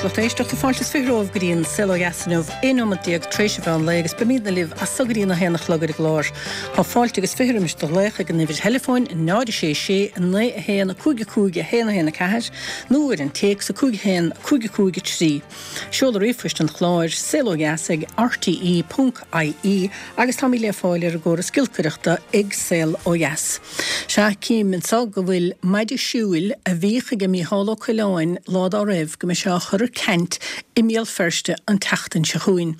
lucht éisteachta. Fáilte is 20 romhaibh go dtí an Saol Ó Dheas inniu, 11 nóimeat tar éis an mheán lae agus beimidne libh as so go dtí an 1 a chlog ar an gclár. Tá fáilte agus 20 roimis do ghlaoch ag an uimhir theileafóin 0 6 6 9 1 5 5 1 1 4 nó ar an téacs 5 1 5 5 3. Seoladh ríomhphoist an chláir, saolodheas ag rte ponc ie agus táimid le fáil ar an gcóras giolcaireachta ag Saol Ó Dheas. Sea, cím anseo go bhfuil maide siúil a bhíodh aige Mícheál Ó Coileáin lá dá raibh go mbeidh sé á chur ar ceant i mBéal Feirste an tseachtain seo chugainn.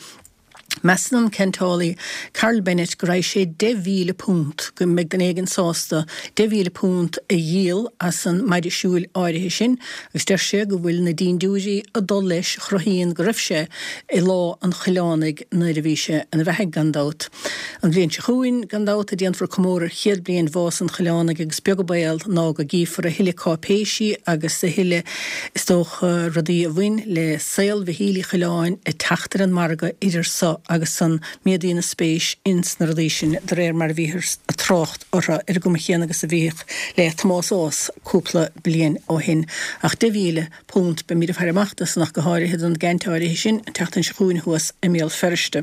Measann an ceantálaí Karl Bennett go raghaidh sé £10,000, go mbeidh duine éigin sásta £10,000 a dhíol as an maide siúil áirithe sin agus deir sé go bhfuil na dindiúirí ag dul leis a chruthaíonn go raibh sé i lá an Choileánaigh nuair a bhí sé ina bheathaidh, gan dabht. An bhliain seo chugainn, gan dabht, a déanfar comóradh ar chéad bliain bhás an Choileánaigh agus beag an baol ná go gcífear a thuilleadh cáipéisí agus a thuilleadh, is dócha, rudaí a bhain le saol Mhichíl Uí Choileáin ag teacht ar an margadh idir so agus san. Méadaíonn an spéis ins na rudaí sin de réir mar a bhíthear ag trácht orthu ar an gcuma chéanna agus a bhíodh le Tomás Ághas cúpla bliain ó shin. Ach £10,000, beimid ag faire amach dó san ach go háirithe don gceant áirithe sin an tseachtain seo chugainn thuas i mBéal Feirste.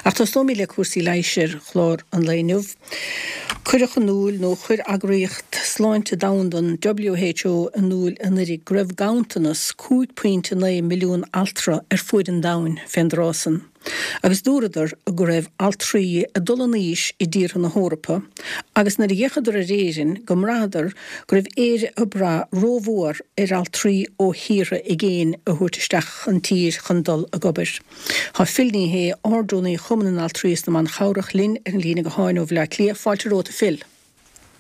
Ach tosnóimid le cúrsaí leighis ar chlár an lae inniu. Cuireadh in iúl, nó chuir Eagraíocht Sláinte Domhanda, an WHO, in iúl anuiridh go raibh ganntanas 5.9 milliún altra ar fuaid an domhain fén dtráth san. Agus dúradar go raibh altraí ag dul in aois i dtíortha na hEorpa agus nuair a d'fhéachadar ar Éirinn go mbraitheadar go raibh Éire ag brath rómhór ar altraí ó thíortha i gcéin a thabhairt isteach an tír chun dul ag obair. Tá Phil Ní Sheaghdha, Ard-Rúnaí Chumann na nAltraí is na mBan Chabhrach, linn ar an líne gutháin ó Bhaile Átha Cliath. Fáilte romhat, a Phil.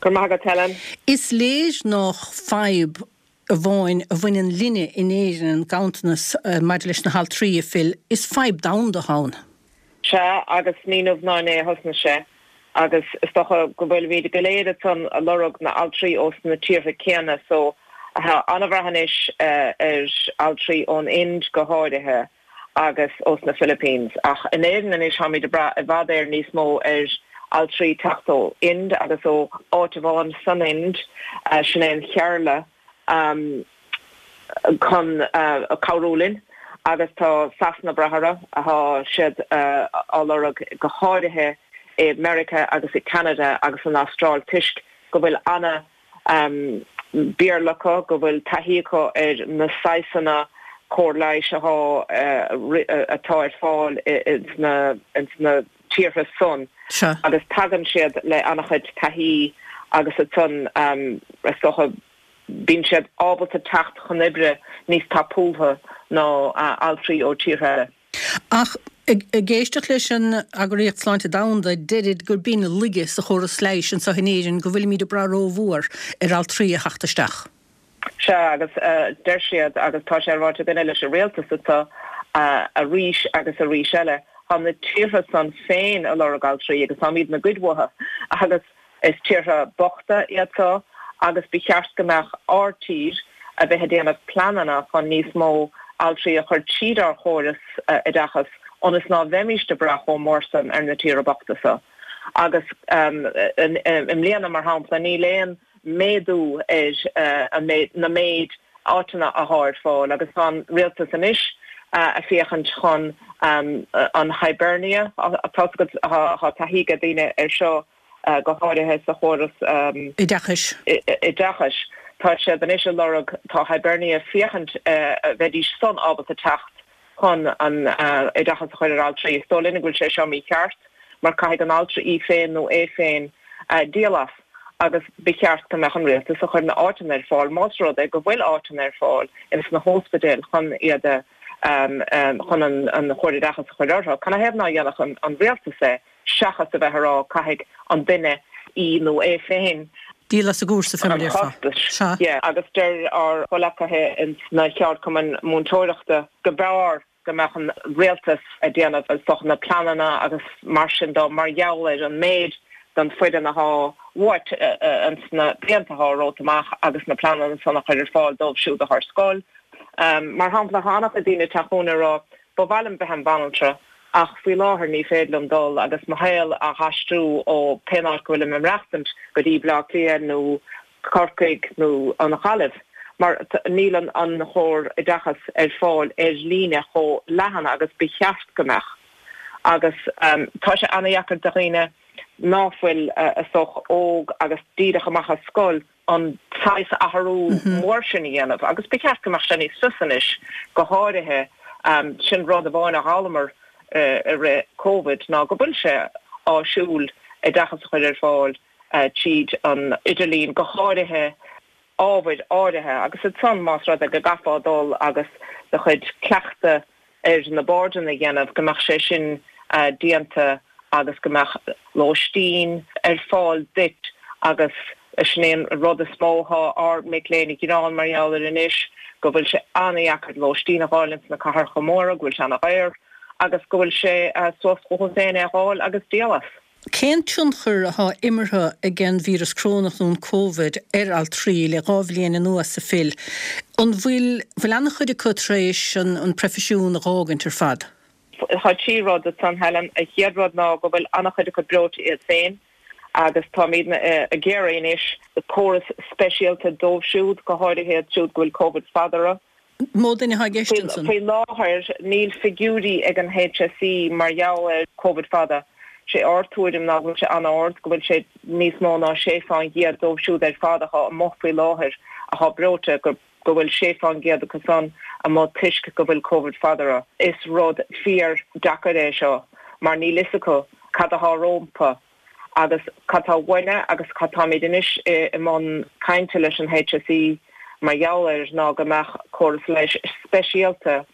Go raibh maith agat, Helen. Is léir nách fadhb amháin a bhaineann linne in Éirinn an ganntanas maidir leis na haltraí, a Phil. Is fadhb domhanda atá ann. Sea, agus ní inniu ná inné a thosnaigh sé, agus is dócha go bhfuilimid go léir ansan a lorg na altraí ós na tíortha céanna so tá an-bhrath anois ar altraí ón Ind go háirithe agus ós na Philippines. Ach in Éirinn anois táimid ag brath i bhfad Éireann níos mó ar altraí teacht ó Ind agus ó áit amháin san Ind, sin é an Kerala. chun cabhrú linn agus tá Sasana ag brath orthu, tá siad á lorg go háirithe i Meiriceá agus i Canada agus san Astráil toisc go bhfuil ana Béarla acu, go bhfuil taithí acu ar na saghsanna cóir leighis atá atá ar fáil ins na tíortha san agus tagann siad le ana-chuid taithí agus ansan is dócha Bíonn siad ábalta teacht chun oibre níos tapúla ná altraí ó tíortha eile. Ach ag éisteacht leis an Eagraíocht Sláinte Domhanda, deirid gur b'in laige sa chóras leighis anseo in Éirinn, go bhfuilimid ag brath rómhór ar altraí a theacht isteach. Sea, agus deir siad, agus tá sé ráite againne leis an rialtas anseo arís agus arís eile, tá na tíortha san féin ag lorg altraí agus táimidne ag goid uathu agus Is tíortha bochta iad seo agus ba cheart go mbeadh ár tír a bheith ag déanamh pleananna chun níos mó altraí a chur tríd ár chóras oideachais ionas ná bheimíst ag brath chomh mór san ar na tíortha bochta seo. Agus i mbliana, mar shampla, níl aon méadú ar na méid áiteanna athá ar fáil agus tá an rialtas anois a féachaint chun an Hibernia, tá taithí ag daoine ar seo go háirithe sa chóras oideachais. oideachais. Tá siad anois a lorg, tá Hibernia féachaint bheidís san ábalta teacht chun an oideachas a chur ar altraí. Is dóigh linn go bhfuil sé seo mícheart mar caithfidh an altra í féin nó é féin díol as agus ba cheart go mbeadh an rialtas a chur na áiteanna ar fáil más rud é go bhfuil áiteanna ar fáil ins na hóspidéil chun iad a chun an chóir oideachas a chur orthu. Canathaobh ná dhéanfadh an rialtas é seachas a bheith a rá caithfidh an duine í nó é féin Díol as an gcúrsa fé mar a an déarfá. costas. Sea. Yeah, agus deir ár gcomhleacaithe ins na cheardchumainn múinteoireachta go mb'fhearr go mbeadh an rialtas ag déanamh is dócha na pleananna agus mar sin dó mar gheall ar an méid den foireann athá uait ins na blianta athá romhat amach agus na pleananna san a chur ar fáil dóibh siúd athá ar scoil. Mar shampla, tá an-chuid daoine ag teacht chugainn ag rá ba mhaith liom bheith im bhanaltra ach faoi láthair ní féidir liom dul agus mo shaol a haistriú ó pén áit go bhfuilim ag maireachtaint go dtí Bleá Cliath nó Corcaigh nó an Ghaillimh. Mar níl an chóir oideachas ar fáil ar líne chomh leathan agus ba cheart go mbeadh. Agus tá sé ana-dheacair do dhaoine ná fuil, is dócha, óg agus díreach amach as scoil an saghas athrú mór sin a dhéanamh. Agus ba cheart go mbeadh sé níos fusa anois, go háirithe, sin rud amháin a d'fhoghlamar i rith Covid ná go bhfuil sé áisiúil oideachas a chur ar fáil tríd an idirlíon, go háirithe ábhair áirithe agus ansan más rud é go gcaithfeá dul agus do chuid cleachtadh ar na boirdeanna a dhéanamh, go mbeadh sé sin déanta agus go mbeadh lóistín ar fáil duit agus sin é an rud is mó atá ár mic léinn ag gearán mar gheall air anois, go bhfuil sé an-dheacair lóistín a dh'fháil ins na cathracha móra, go bhfuil sé an-dhaor agus go bhfuil sé suas chucu féin é a dh'fháil agus díol as. Cén tionchar atá imeartha ag an víreas corónach nó an Covid ar altraí le 2 bhliain anuas, a Phil? An bhfuil bhfuil an-chuid acu tar éis an proifisiún a dh'fhágaint ar fad? Tá 3 rud ansan, Helen. An chéad rud ná go bhfuil an-chuid acu breoite iad féin agus táimidne ag iarraidh anois córas speisialta dóibh siúd, go háirithe iad siúd go bhfuil Covid fada orthu. Mó duine atá i gceist ansan? Faoi láthair níl figiúirí ag an HSE mar gheall ar Covid fada. Sé ár tuairim ná go bhfuil sé an-ard, go bhfuil sé níos mó ná 6 fán gcéad dóibh siúd ar fad athá amuigh faoi láthair athá breoite, go bhfuil 6 fán gcéad acu san amuigh toisc go bhfuil Covid fada orthu. Is rud fíor deacair é seo mar níl fhios acu cad athá rómpa. Agus cad tá uainne agus cad táimid anois i mbun cainte leis an HSE mar gheall air ná go mbeadh córas leighis speisialta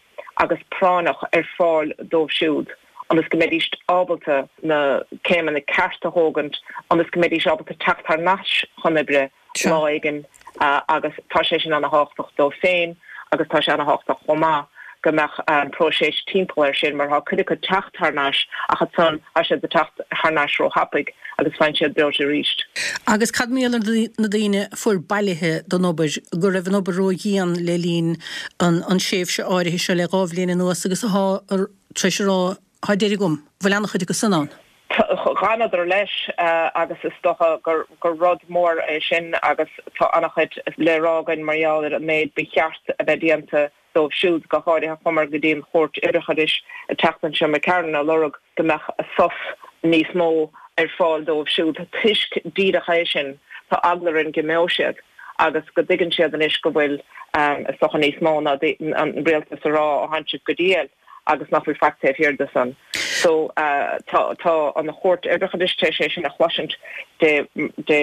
agus práinneach ar fáil dóibh siúd ionas go mbeidís ábalta na céimeanna cearta a thógaint ionas go mbeidís ábalta teacht thar n-ais chun oibre lá éigin agus tá sé sin ana-thábhachtach dóibh féin agus tá sé ana-thábhachtach chomh maith go mbeadh próiseas timpeall air sin mar tá cuid acu ag teacht thar n-ais ach ansan tá siad ag teacht thar n-ais ró-thapaidh agus faigheann siad breoite arís. Agus cad mar gheall ar na daoine a fuair bailithe don obair, go raibh an obair ró-dhian le linn an tréimhse áirithe seo le 2 bhliain anuas agus atá tar éis a rá Tá deireadh agam. Bhfuil an-chuid acu san ann? Dh'fhanadar leis agus is dócha gur rud mór é sin agus tá an-chuid le rá againn mar gheall ar an méid ba cheart a bheith déanta dóibh siúd, go háirithe chuamar go dtí an Chúirt Oibreachais an tseachtain seo McCarron ag lorg go mbeadh sos níos mó ar fáil dóibh siúd toisc díreach é sin tá eagla orainn go imeoidh siad agus go dtuigeann siad anois go bhfuil is dócha níos mó ná an rialtas a rá ó tánn sibh go diail. agus nach bhfuil faic taobh thiar de san. So tá tá an Chúirt Oibreachais tar éis é sin a chloisint Dé Dé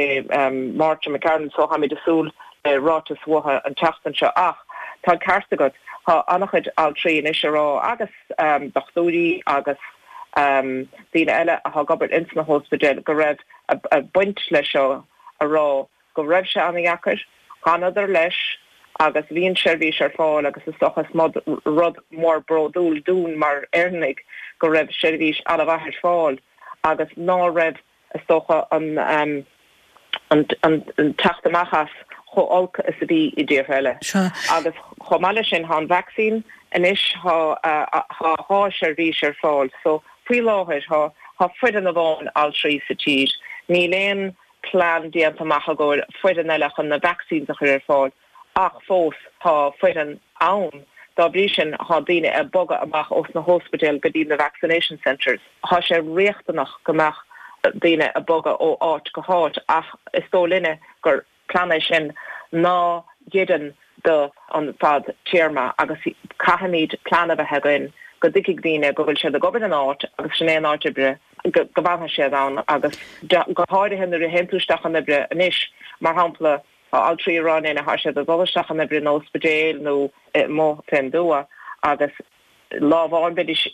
Máirt McCarron so táimid ag súil le ráiteas uathu an tseachtain seo. Ach tá an ceart agat, tá an-chuid altraí anois ag rá agus dochtúirí agus daoine eile atá ag obair ins na hóspidéil go raibh baint leis seo a rá go raibh sé an-dheacair, dh'fhanadar leis agus bhí an seirbhís ar fáil agus is dócha is rud mór bródúil dúinn mar Éireannaigh go raibh seirbhís an-mhaith ar fáil agus ná raibh is dócha an an teacht amach as chomh olc is a bhí i dtíortha eile. Agus chomh maith leis sin tá an vacsaín anois tá 2 seirbhís ar fáil so faoi láthair tá tá foireann amháin altraí sa tír níl aon plean déanta amach i gcomhair foireann eile chun na vaccines a chur ar fáil ach fós tá foireann ann. Dá bhrí sin tá daoine ag bogadh amach ós na hóspidéil go dtí na vaccination centres. Tá sé riachtanach go mbeadh daoine ag bogadh ó áit go háit ach is dóigh linne gur plean é sin ná hoireann do an fad téarma agus caithfimid plean a bheith againn go dtuigfidh daoine go bhfuil siad ag obair in áit agus sin é an áit oibre go bhfanfaidh siad ann agus go háirithe nuair a théann tú isteach chun oibre anois mar shampla tá altraí ag rá linn tá siad ag dul isteach chun oibre in óspidéil nó amuigh fén dtuath agus lá amháin beidís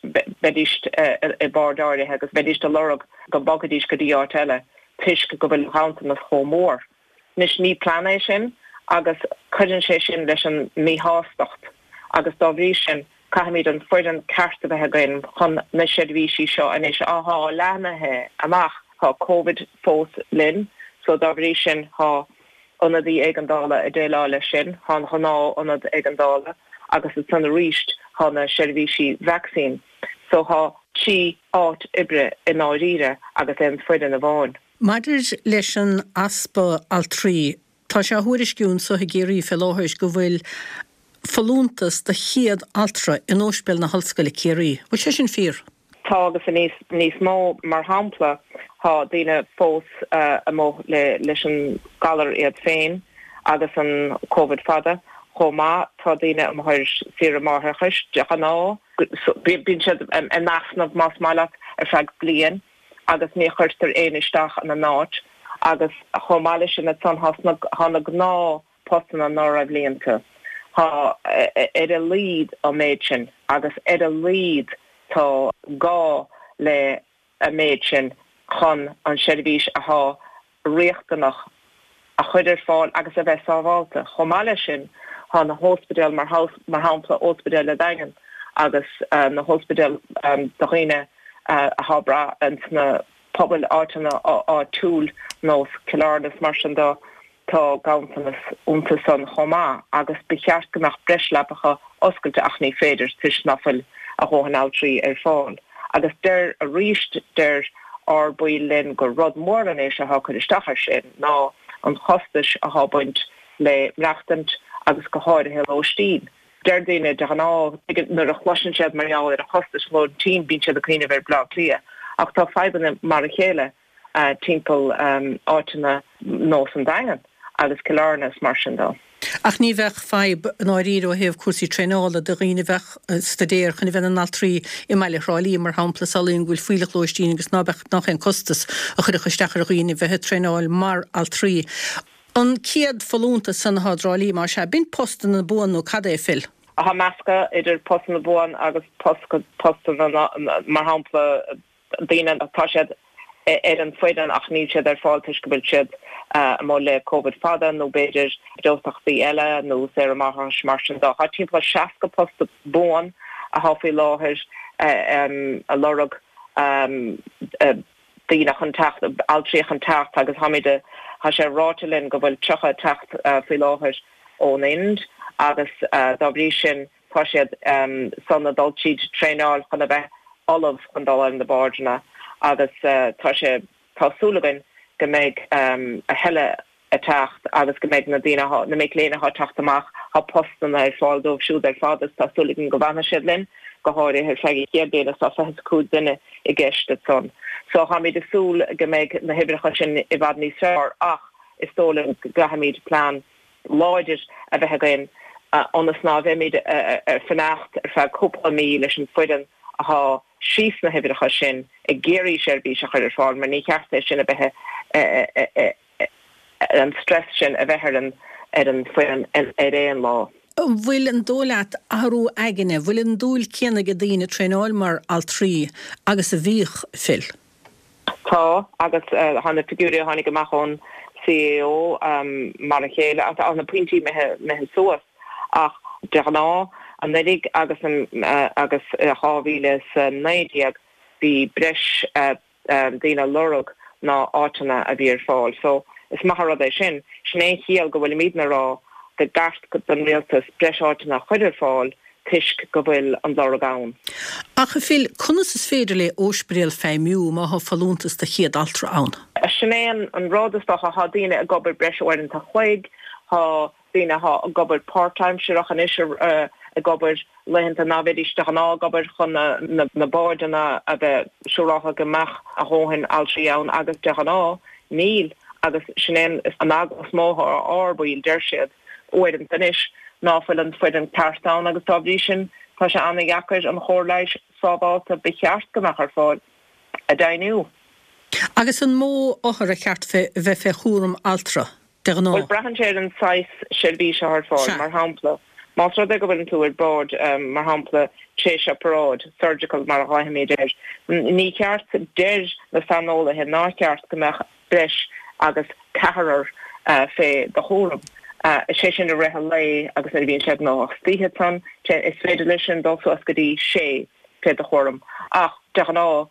beidís i bord áirithe agus beidís ag lorg go mbogfaidís go dtí áit eile toisc go bhfuil an ganntanas chomh mór. Anois ní plean é sin agus cuireann sé sin leis an míshástacht agus dá bhrí sin caithfimid an foireann ceart a bheith againn chun na seirbhísí seo anois athá leathnaithe amach. Tá Covid fós linn so dá bhrí sin tá ionadaí éigeandála ag déileáil leis sin, tá an ghnáth ionad éigeandála agus ansan arís tá na seirbhísí vacsaín so tá 3 áit oibre i ndáiríre agus aon foireann amháin. Maidir leis an easpa altraí. Tá sé á thuairisciú anso i gCiarraí fé láthair go bhfuil folúntas do 100 altra in Óispidéal na hOllscoile Ciarraí. Bhfuil sé sin fíor? Tá agus níos mó, mar shampla, tá daoine fós amuigh leis an galar iad féin agus an Covid fada. Chomh maith, tá daoine amuigh ar saoire máithreachais. De ghnáth, bíonn siad in easnamh, más maith leat, ar feadh bliain agus ní chuirtear éinne isteach ina n-áit. Agus chomh maith leis sin ansan, tá na gnáth. postanna ná raibh líonta. Tá ar a laghad an méid sin agus ar a laghad tá gá le an méid sin chun an seirbhís athá riachtanach a chur ar fáil agus a bheith sábhálta. Chomh maith leis sin tá na hóspidéil mar shampla Óspidéal a' Daingin agus na hóspidéil do dhaoine athá ag brath ins na pobail áiteanna áitiúil nós Cill Airne is mar sin do. Tá ganntanas iontu san chomh maith agus ba cheart go mbeadh breis leapacha oscailte ach ní féidir toisc ná fuil a dhóthain altraí ar fáil. Agus deir arís deir ár baill linn gur rud mór anois athá ag cur isteach air sin ná an chostais athá ag baint le maireachtaint agus go háirithe lóistín. Deir daoine de ghnáth nuair a chloiseann siad mar gheall ar an chostais lóistín bíonn siad ag cuimhneamh ar Bleá Cliath ach tá fadhbanna mar a chéile timpeall áiteanna nós an Daingean agus Cill Airne is mar sin dó. Ach ní bheadh fadhb i ndáiríre ó thaobh cúrsaí traenála do dhaoine a bheadh ag staidéar chun a bheith ina n-altraí i mbaile Thrá Lí, mar shampla. Samhlaím go bhfuil fuílleach lóistín agus ná beadh nach aon costas a chuirfeadh isteach ar dhaoine bheith ag traenáil mar altraí. An 100 folúntas san atá i dTrá Lí, más ea, b'in postanna buan nó cad é, Phil? Tá meascadh idir postanna buan agus postanna, mar shampla, daoine, tá siad ar an bhfoireann ach níl siad ar fáil toisc go bhfuil siad amuigh le Covid fada nó b'fhéidir breoiteachtaí eile nó saoire máithreachais mar sin dó. Tá timpeall 60 post buan athá faoi láthair a lorg daoine chun teacht, altraí chun teacht agus táimid, tá sé ráite linn go bhfuil 30 ag teacht faoi láthair ón Ind agus dá bhrí sin Tá siad san ag dul tríd traenáil chun a bheith ullamh chun dul ar na boirdeanna agus tá sé, tá súil againn go mbeidh a thuilleadh ag teacht agus go mbeidh na daoine athá, na mic léinn athá ag teacht amach, tá postanna ar fáil dóibh siúd ar fad agus tá súil againn go bhfanfaidh siad linn, go háirithe ar feadh an chéad bhliain is tá 25 duine i gceist ansan. So táimid ag súil go mbeidh na huimhreacha sin i bhfad níos fearr ach is dóigh liom go gcaithfimid plean láidir a bheith againn ionas ná bheimid ag fanacht ar feadh cúpla mí leis an foireann athá síos sna huimhreacha sin ag iarraidh seirbhís a chur ar fáil mar ní cheart é sin a bheith an stress sin a bheith ar an ar an foireann ar aon lá. An bhfuil, an dóigh leat, athrú aigne, bhfuil an dúil céanna ag daoine traenáil mar altraí agus a bhíodh, Phil? Tá, agus tá na figiúirí a tháinig amach ón CAO mar a chéile, tá na pointí imithe suas ach de ghnáth anuraidh agus agus 2019 bhí breis daoine ag lorg ná áiteanna a bhí ar fáil. So is maith an rud é sin. Sin é an chiall go bhfuilimidne ag rá go gceart don rialtas breis áiteanna a chur ar fáil toisc go bhfuil an lorg ann. Ach a Phil, conas is féidir le óispidéal feidhmiú má thá folúntas do chéad altra ann? Sin é an rud, is dócha. Thá daoine ag obair breis uaireanta chloig, thá daoine athá ag obair páirtaimsearach anois ag obair laethanta ná bheidís de ghnáth ag obair chun na boirdeanna a bheith siúráltha go mbeadh a dhóthain altraí ann agus de ghnáth níl agus sin é an eagla is mó athá ar ár baill, deir siad. uaireanta anois ná fuil an foireann ceart ann agus dá bhrí sin tá sé ana-dheacair an chóir leighis sábhálta ba cheart go mbeadh ar fáil a deimhniú. Agus an mó othar ar cheart bheith fé chúram altra, de ghnáth? Bhuel, braitheann sé ar an saghas seirbhís atá ar fáil. Mar shampla, más rud é go bhfuileann tú ar bord, mar shampla, tar éis oparáid, surgical mar a ghlaofaimid air, ní cheart, deir na saineolaithe nár cheart go mbeadh breis agus ceathrar fé do chúram. Is é sin i rith an lae agus nuair a bhíonn siad gnóthach istoíche ansan, is féidir leis sin dul suas go dtí sé fé do chúram. Ach de ghnáth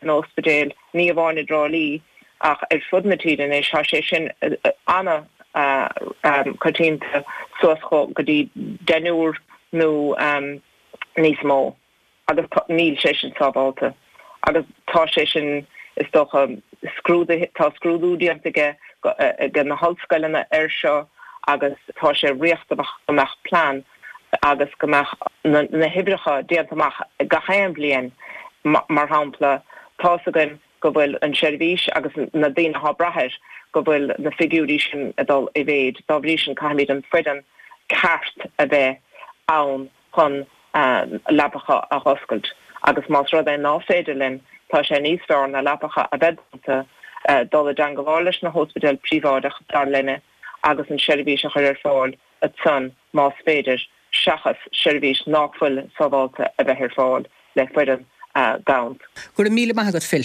in óspidéil, ní amháin i dTrá Lí ach ar fud na tíre anois, tá sé sin ana-choitianta suas go dtí deichniúr nó níos mó. agus níl sé sin sábhálta agus tá sé sin, is dócha, scrúdaithe, tá scrúdú déanta aige. ag na hollscoileanna air seo agus tá sé riachtanach go mbeadh plean agus go mbeadh na huimhreacha déanta amach gach aon bhliain. Mar shampla, tá's againn go bhfuil an tseirbhís agus na daoine atá ag brath air, go bhfuil na figiúirí sin ag dul i mhéid. Dá bhrí sin, caithfimid an foireann ceart a bheith ann chun leapacha a dh'oscailt agus más rud é ná féidir linn, tá sé níos fearr na leapacha a bheith dúnta, dul i dteangabháil leis na hóspidéil príobháideach, dar linne, agus an seirbhís a chur ar fáil ansan más féidir, seachas seirbhís nách fuil sábhálta a bheith ar fáil le foireann gann. Go raibh míle maith agat, Phil.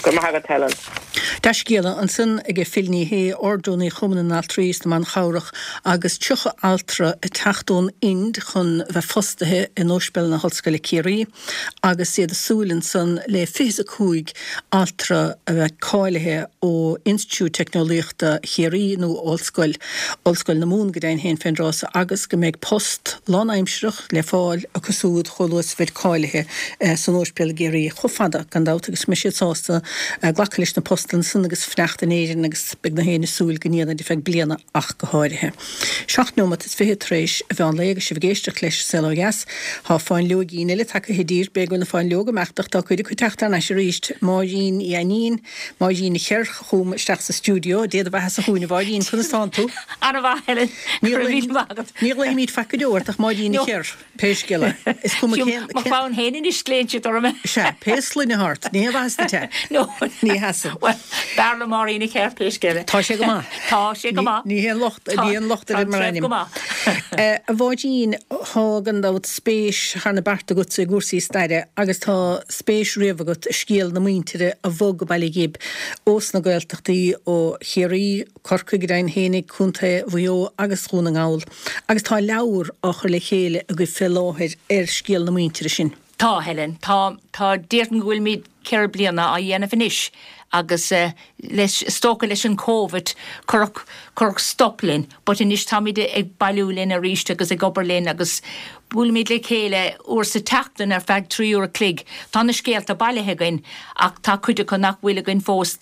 Go raibh maith agat, Helen. Dea-scéala ansan aige Phil Ní Sheaghdha, Ard-Rúnaí Chumann na nAltraí is na mBan Chabhrach agus 30 altra ag teacht ón Ind chun bheith fostaithe in Ospidéal na hOllscoile Ciarraí agus iad ag súil ansan le 25 altra a bheith cáilithe ó Institiúid Teicneolaíochta Chiarraí nó Ollscoil Ollscoil na Mumhan go deimhin féin fén dtráth so agus go mbeidh post lánaimsireach le fáil acu súd chomh luath is a bheid cáilithe san Ospidéal i gCiarraí chomh fada gan dabht agus go mbeidh siad sásta glacadh leis na postanna san agus fanacht in Éirinn agus beidh gach éinne ag súil go ndéanfaid ar feadh bliana ach go háirithe. Seacht neomat is fichead tar éis an mheán lae agus sibh ag éisteacht leis Saol Ó Dheas. Tá fáinleoigín eile tagtha i dtír, b'fhéidir go bhfuil na fáinleoga imeachta ach tá cuid acu ag teacht thar n-ais arís. Máirín Uí Ainnín, Máirín an Cheirch chugam isteach sa stiúideo. Dé do bheatha-sa chugainn a Mháirín, conas tánn tú? Ana-mhaith, Helen. Go raibh míle maith agat. Ní ghlaoimid faic go deo ort ach Máirín an Cheirch, pé scéal é. Is cuma cén. Mo chlann féin anois glaonn siad orm. Sea, pé sloinne atá ort, ní haon mhaitheas duit é. No. Ní sheasann. Bhuel, b'fhearr liom Máirín an Cheirch, pé scéal é. Tá sé go maith. Tá sé go maith. Ní haon locht, ní haon locht ar mar ainm. Tá go maith. A Mháirín, tá gan dabht spéis thar na bearta agatsa i gcúrsaí staire agus tá spéis riamh agat i scéal na muintire a bhog go Baile Ghib ós na Gaeltachtaí, ó Chiarraí, Corcaigh, go deimhin fhéinig, Contae Mhaigh Eo agus Dhún na nGall. Agus tá leabhar á chur le chéile agaibh fé láthair ar scéal na muintire sin. Tá, Helen. Tá, tá, déarfainn go bhfuilimid ceithre bliana á dhéanamh anois agus leis, is dócha leis an Covid cuireadh, cuireadh stop linn but anois táimid ag bailiú linn arís agus ag obair linn agus buailimid le chéile uair sa tseachtain ar feadh 3 uair a chloig. Tá na scéalta bailithe againn ach tá cuid acu nach bhfuil againn fós.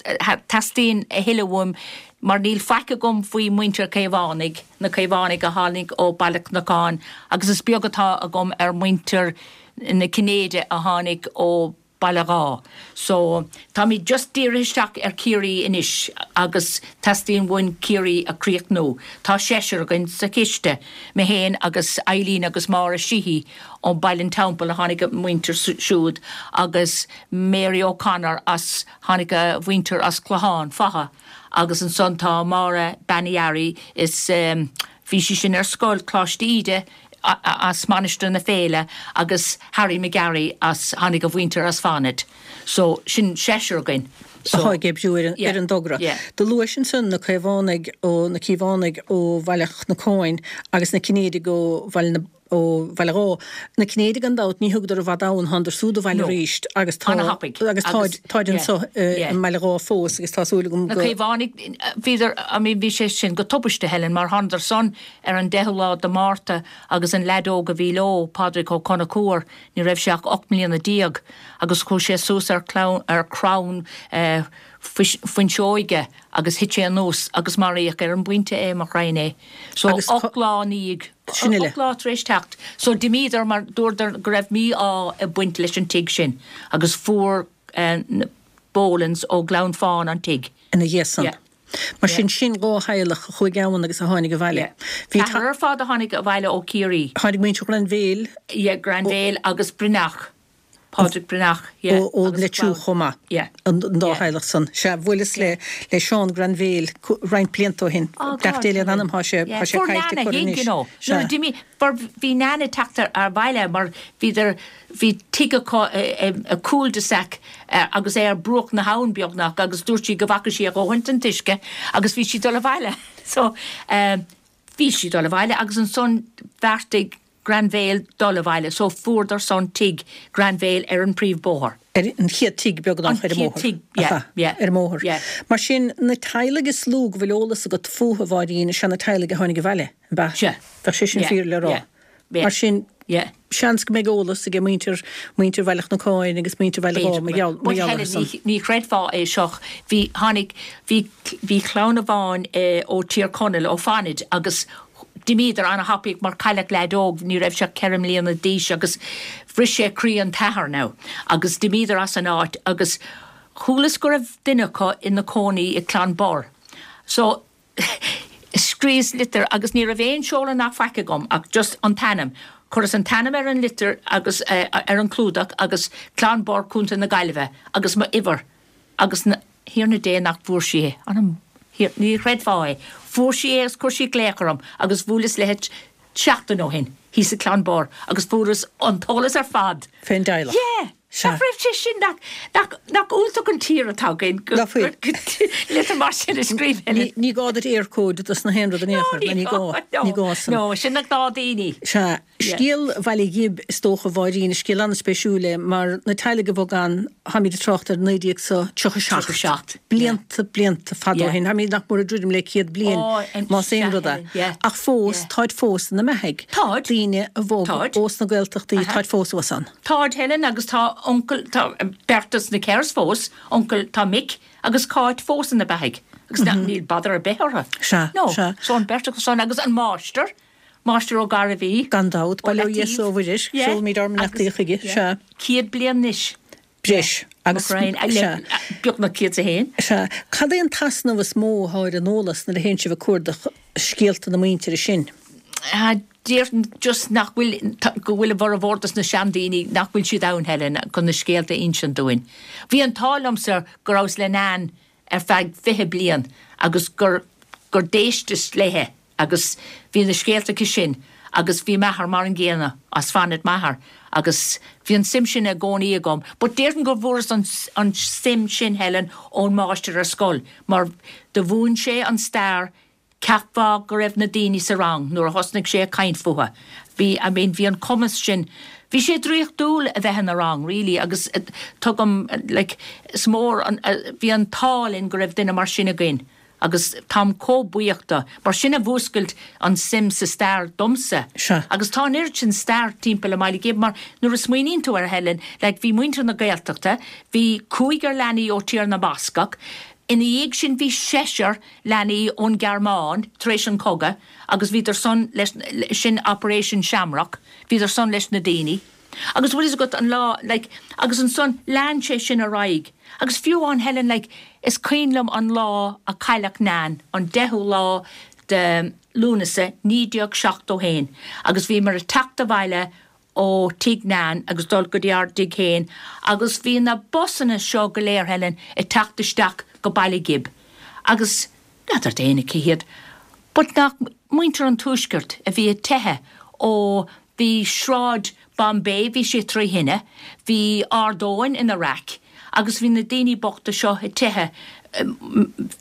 Teastaíonn a thuilleadh uaim mar níl faic agam faoi muintir Chaomhánaigh, na Caomhánaigh a tháinig ó Baile Cnocáin agus is beag atá agam ar muintir na Cinnéide a tháinig ó Baile Dháith. So, táimid just dírithe isteach ar Ciarraí anois agus teastaíonn uainn Ciarraí a chríochnú. Tá seisear againn sa chiste, mé féin agus Eileen agus Máire Sheehy ó Baile an Teampaill a tháinig a muintir siúd agus Mary O'Connor as, tháinig a mhuintir as Clochán Fátha agus ansan tá Máire Bean Uí Fhearraigh is bhí sí sin ar scoil Coláiste Íde as Mainistir na Féile agus Harry McGarry as, tháinig a mhuintir as Fánaid. So, sin seisear againn. So, atá ag oibriú ar an, ar an dtogra. Yeah. Do luais ansan na Caomhánaigh ó, na Cíobhánaigh ó Bhaile Chnocáin agus na Cinnéidigh ó Bhaile na, ó Bhaile Dháith. Na Cinnéidigh gan dabht ní thugadar i bhfad ann, thánadar súd abhaile No. arís agus tá, Ana-thapaidh. agus táid, Agus, táid yeah, anso i yeah. mBaile Dháith fós agus tá súil agam Na go. Caomhánaigh, bhíodar, I mean bhí sé sin go tubaiste, Helen, mar thánadar san Ar an deichiú lá de Márta agus an leaid óg a bhí leo, Pádraig Ó Conchúir, ní raibh sé ach 18 mbliana agus chuaigh sé suas ar ar chrann fuinseoige agus thit sé anuas agus maraíodh ar an bpointe é, mo ghraidhin é. So Agus 8 lá ina dhiaidh, Sin uile. 8 lá tar éis teacht. So d'imíodar mar dúradar go raibh mí-ádh ag baint leis an tigh sin agus fuair na Bolans ó Ghleann Fáin an tigh. Ina dhiaidh san. Yeah. Mar sin, sin 2 theaghlach a chuaigh ann agus a tháinig abhaile. Bhí. Ceathrar ar fad a tháinig abhaile ó Chiarraí. Tháinig muintir Ghrainbhéil. Yeah, Grainbhéil agus Breathnach. Pádraig Breathnach, yeah. Ó Leitriú chomh maith. Yeah. An dá theaghlach san. Sea, bhuaileas le le Seán Grainbhéil roinnt blianta ó shin. Oh God. Beannacht Dé lena anam, tá sé tá sé Fuair caillte Nana curtha thig, anois. you know. Sea. Nuair a d'imigh, bhí Nana ag teacht abhaile mar bhíodar, Bhí tigh acu i cul-de-sac agus é ar bruach na habhann beagnach agus dúirt sí go bhfaca sí a dhóthain den t-uisce agus bhí sí dul abhaile. So bhí sí dul abhaile agus ansan bheartaigh Grainbhéil dul abhaile so fuaireadar san tigh Grainbhéil ar an príomh-bóthar. Ar an chéad tigh beagnach ar an An chéad mbóthar. tigh, yeah, yeah. Ar an mbóthar. Yeah. Mar sin, na teaghlaigh is lú go bhfuil eolas agat fúthu, a Mháirín, is ea na teaghlaigh a tháinig abhaile, ab ea? Sea. Bheadh sé sin Yeah, fíor le rá. yeah, yeah. Mar sin. Yeah. Seans go mbeidh eolas ag muintir, muintir Bhaile Chnocáin agus muintir Bhaile Ghib mar gheall, mar But gheall Helen, orthu san. ní, ní chreidfeá é seo, bhí, tháinig, bhí, bhí clann amháin ó Tír Chonaill, ó Fanaid agus d'imíodar ana-thapaidh mar cailleadh leaid óg, ní raibh sé ach 4 mbliana d'aois agus bhris sé croí an t-athair now agus d'imíodar as an áit agus chualas go raibh duine acu ina cónaí i Clonbur. So scríos litir agus ní raibh aon seoladh ná faic agam ach just an t-ainm. Chuireas an t-ainm ar an litir agus ar an clúdach agus Clonbur, Contae na Gaillimhe agus m'uimhir agus a Thiarna Dé nach bhfuair sí é. An ní chreidfeá é. Fuair sí é agus chuir sí glaoch orm agus bhuaileas léi seachtain ó shin thíos i Clonbur agus fuaireas an t-eolas ar fad. Fén dteaghlach. Yeah! Sea. Nach raibh sé sin, nach, nach, nach iontach an tír atá againn go, Nach bhfuil. go, litir mar sin a scríobh Ní, ní gá duit Eircode dos na haon rud in aon chor, No, ní gá, no, ní gá san. no, sin na gnáthdaoine. Sea. Yeah. Scéal Bhaile Ghib is dócha, a Mháirín, is scéal an-spéisiúil é mar na teaghlaigh a bhog ann, táimid ag trácht ar 1937, 37, yeah. blianta, blianta fada ó Yeah. shin, táimid nach mór ag druidim le 100 bliain, Ó, an, más sea, aon rud é. Helen, yeah, Ach fós, yeah. táid fós ina mbeathaidh. Táid. Daoine a bhog Táid. ós na Gaeltachtaí, Aha. táid fós thuas ann. Táid, Helen, agus tá uncail, tá beirt dos na Kerrs fós, uncail, tá Mick agus Cáit fós ina beathaidh agus níl bother ar bith orthu. Sea, No, sea. so an beirt acu san agus an máistir, Máistir Ó Gairbhí. Gan dabht, ó bail ó Dhia Leataobh. 's ó Mhuire, Yeah, seolaimid ár mbeannachtaí agus, chuige, yeah, sea. 100 bliain anois. Breis agus, Mac Ryan, sea. beagnach 101. Sea. Cad é an t-easnamh is mó atá ar an eolas nuair a théann sibh ag cuardach scéalta na muintire sin? Déarfainn just nach bhfuil, go bhfuil a bhformhór dos na seandaoine, nach bhfuil siad ann, Helen, chun na scéalta a insint dúinn. Bhí an t-ádh liomsa go rabhas le Nan ar feadh 20 bliain agus gur, gur d'éisteas léithe agus bhí na scéalta aici sin agus bhí m'athair mar an gcéanna, as Fanaid m'athair agus bhí an suim sin i gcónaí agam. But déarfainn go bhfuaireas an, an suim sin, Helen, ón máistir ar scoil mar do mhúin sé an stair Cheapfá go raibh na daoine sa rang nuair a thosnaigh sé ag caint fúthu. Bhí, I mean, bhí an cumas sin, bhí sé draíochtúil a bheith ina rang, really, agus tugaim, like, is mór an, bhí an t-ádh linn go raibh duine mar sin againn agus táim chomh buíoch do, mar sin a mhúscailt an suim sa stair domsa. Sea. Agus tá an oiread sin stair timpeall i mBaile Ghib mar nuair a smaoiníonn tú air, Helen, like, bhí muintir na Gaeltachta, bhí cúigear leanaí ó Tír na mBascach, ina dhiaidh sin bhí seisear leanaí ón Ghearmáin tar éis an chogadh agus bhíodar san leis, sin Operation Shamrock, bhíodar san leis na daoine. Agus bhfuil fhios agat an lá, like, agus ansan lean sé sin ar aghaidh. Agus fiú amháin Helen, like, is cuimhin liom an lá a cailleadh Nan, an 10ú lá de Lúnasa 1971 agus bhíomar ag teacht abhaile ó tigh Nan agus dul go dtí ár dtigh féin agus bhí na busanna seo go léir, Helen, ag teacht isteach go Baile Ghib agus n'fheadar d'éinne cé hiad but nach muintir an Tuaiscirt a bhí ag teitheadh ó bhí Sráid Bombay, bhí sé trí thine, bhí Ard Eoin ina raic agus bhí na daoine bochta seo ag teitheadh,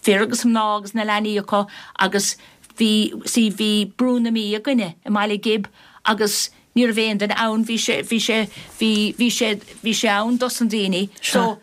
fir agus mná agus na leanaí acu agus bhí, see, bhí Brú na Mí againne i mBaile Ghib agus Ní raibh aon duine ann, bhí sé, bhí sé, bhí, bhí sé, bhí sé ann dos na daoine. So,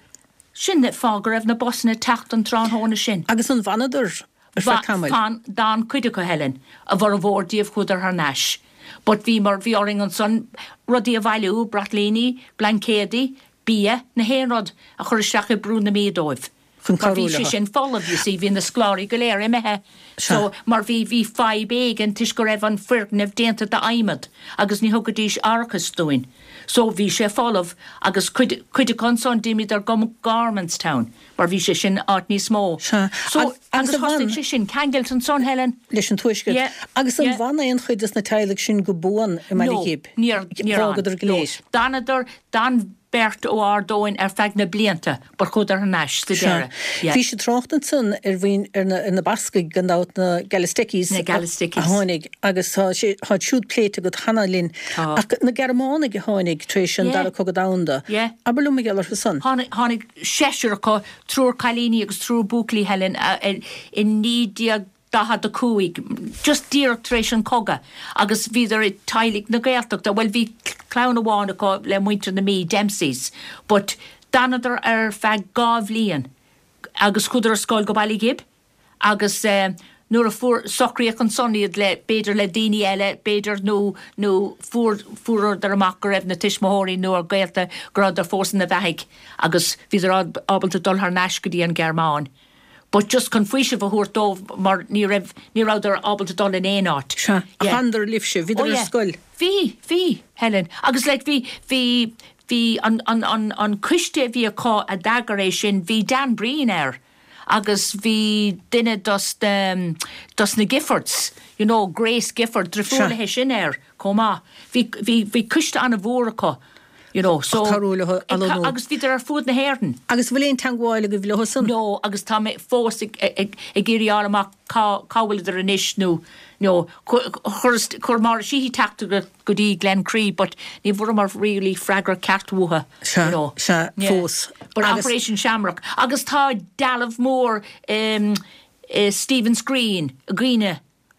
sin an fáth go raibh na busanna ag teacht an tráthnóna sin. Agus an bhfanadar ar feadh tamaill? Fan, d'fhan cuid acu, Helen. A bhformhór díobh chuadar thar n-ais. But bhí mar, bhí orainn ansan rudaí a bhailiú, braitlíní, blaincéadaí, bia, na haon rud a chur isteach i Brú na Mí dóibh. chun Mar cabhrú bhí sé leo. sin folamh, you see, bhí na scoláirí go léir imithe. So, mar bhí, bhí fadhb éigin toisc go raibh an foirgneamh déanta d'adhmad agus ní thugaidís árachas dúinn. So, bhí sé folamh agus cuid, cuid acu ansan d'imíodar go Gormanstown mar bhí sé sin áit níos mó. Sea. So, Agus agus an thosaigh bhfan. sé sin, ceangailt ansan, Helen. Leis an Tuaisceart. Yeah, Agus an yeah. bhfan aon chuid des na teaghlaigh sin go buan i mBaile No, Ghib? níor, níor fhan. Fhágadar go No. léir. D'fhanadar, d'fhan beirt ó Ard Eoin ar feadh na blianta but chuadar thar n-ais sa Sea. deireadh. Yeah. Bhís ag trácht ansan ar mhuin, ar na, ar na Bascaigh gan dabht, na Galisteckis Na a, Galisteckis. a tháinig agus tá sé, tá siúd pléite agat cheana linn. Tá. Ach na Gearmánaigh a tháinig tar éis an Yeah. Dara Cogadh Domhanda, Yeah. abair liom mar gheall orthu san. Tháinig, tháinig seisear acu, triúr cailíní agus triúr buachaillí, Helen, a, i, i 19. 45, just díreach tar éis an chogadh, agus bhíodar i teaghlaigh na Gaeltachta, bhuel bhí clann amháin acu le muintir na Mí, Dempseys, but d'fhanadar ar feadh dhá bhliain agus chuadar ar scoil go Baile Ghib agus eh. Nuair a fuair, socraíodh ansan iad le, b'fhéidir le daoine eile, b'fhéidir, nó, nó fuair, fuaireadar amach go raibh na tuismitheoirí nó a gaolta, go rabhadar fós ina bheathaidh agus bhíodar ábalta dul thar n-ais go dtí an Ghearmáin. But just chun faoiseamh a thabhairt dóibh mar ní raibh, ní rabhadar ábalta dul in aon áit. Sea. Ach Yeah. d'fhanadar libhse, bhíodar Oh ar yeah. scoil. Bhí, bhí, Helen. Agus like bhí, bhí, bhí an, an, an, an coiste a bhí acu a d'eagraigh é sin, bhí Dan Breen air. agus bhí duine dos na, dos na Giffords, you know, Grace Gifford, driofúr Sea. léithe sin air chomh maith. Bhí, bhí, bhí coiste an-mhór acu, you know, so. Ag cabhrú leo ag, lonnú. agus bhíodar ar fuaid na hÉireann. Agus bhfuil aon teangmháil agaibh leo san? No, agus tá mé fós ag, ag, ag iarraidh fháil amach cá, cá bhfuileadar anois nó, nó, chuir, chuir Máire Sheehy teachtaireacht go dtí Glencree but ní bhfuaireamar really freagra ceart uathu Sea, you know. sea, Yeah. fós. But Agus- Operation Shamrock. Agus tá dealbh mór i i Stephen's Green i gcuimhne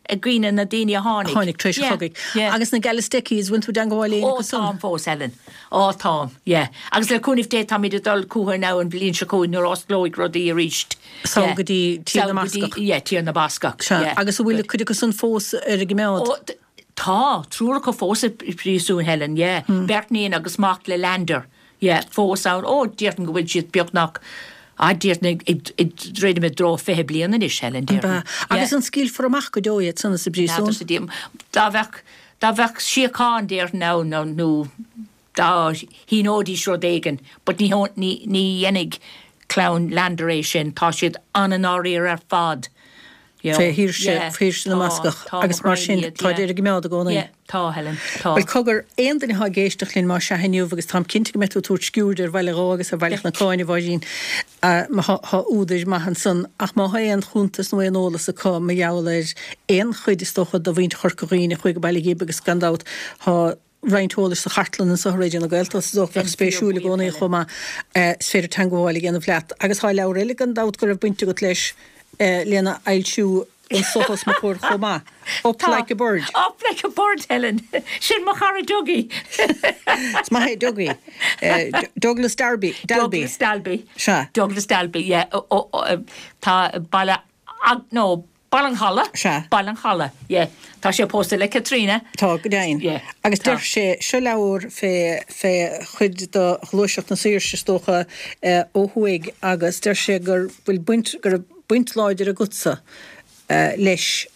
i gcuimhne na daoine a tháinig. Tháinig tar éis an Yeah, chogaidh. yeah. Agus na Galasteckis, bhfuil tú i dteangmháil le éinne Ó acu san? táim fós Helen. Ó táim, yeah. Agus le cúnamh Dé táimid ag dul chucu now an bhliain seo chugainn nuair a osclóidh rudaí arís. Sall Yeah. go dtí Tír na Sall go dtí- mBascach. Yeah, Tír na Bascach. Sea, Yeah. agus an bhfuil cuid acu san fós ar a gcoimeád? Ó, Tá, triúr acu fós i bpríosún, Helen, yeah. Beirt níon agus mac le Leander, yeah, fós ann. Ó, déarfainn go bhfuil siad beagnach, ah, déarfainn ag, ag druidim i dtreo 20 bliain anois, Helen, déarfainn. Ab ea? Agus an scaoilfear amach go deo iad san as an bpríosún? N'fheadar sa diabhal. Dá bheadh, dá bheadh síocháin, déarfainn, ann, nó, nó dá shíneoidís rud éigin, but ní, ní, ní dhéanfaidh clann Leander é sin, tá siad an-ndáiríre ar fad. Fé shaoirse, shaoirse na mBascach agus mar sin táid ar a gcoimeád i gcónaí. Yeah, tá, Helen, tá. Bhuel, cogar, aon duine atá ag éisteacht linn más ea inniu, agus táim cinnte go mbeidh tú ag tabhairt sciuird ar Bhaile Dhó agus ar Bhaile Chnocáin, a Mháirín, má tá údair maith ansan, ach má tá aon chuntas nó aon eolas acu mar gheall ar aon chuid, is dócha, de mhuintir Chorca Dhuibhne a chuaigh go Baile Ghib agus gan dabht tá roinnt eolais sa chartlann anseo i Raidió na Gaeltachta is dócha bheadh spéisiúil i gcónaí chomh maith. Is féidir teangmháil a dhéanamh leat. Agus tá leabhar eile gan dabht go raibh baint agat leis lena fhoilsiú anseo os mo chomhair chomh maith, Up Like a Bird. Up Like a Bird, Helen. Sin mo chara Dougie. Is maith é Dougie. Douglas Darby, Dalby. Douglas Dalby. Sea. Douglas Dalby, yeah. Tá baile, no, Baile an Chollaigh? Sea. Baile an Chollaigh, yeah. Tá sé pósta le Caitríona. Tá, go deimhin. Yeah. Agus Tá. deir sé, seo leabhar fé, fé chuid de ghluaiseacht na saoirse is dócha ó thuaidh agus deir sé gur bhfuil baint, go raibh baint láidir agatsa leis,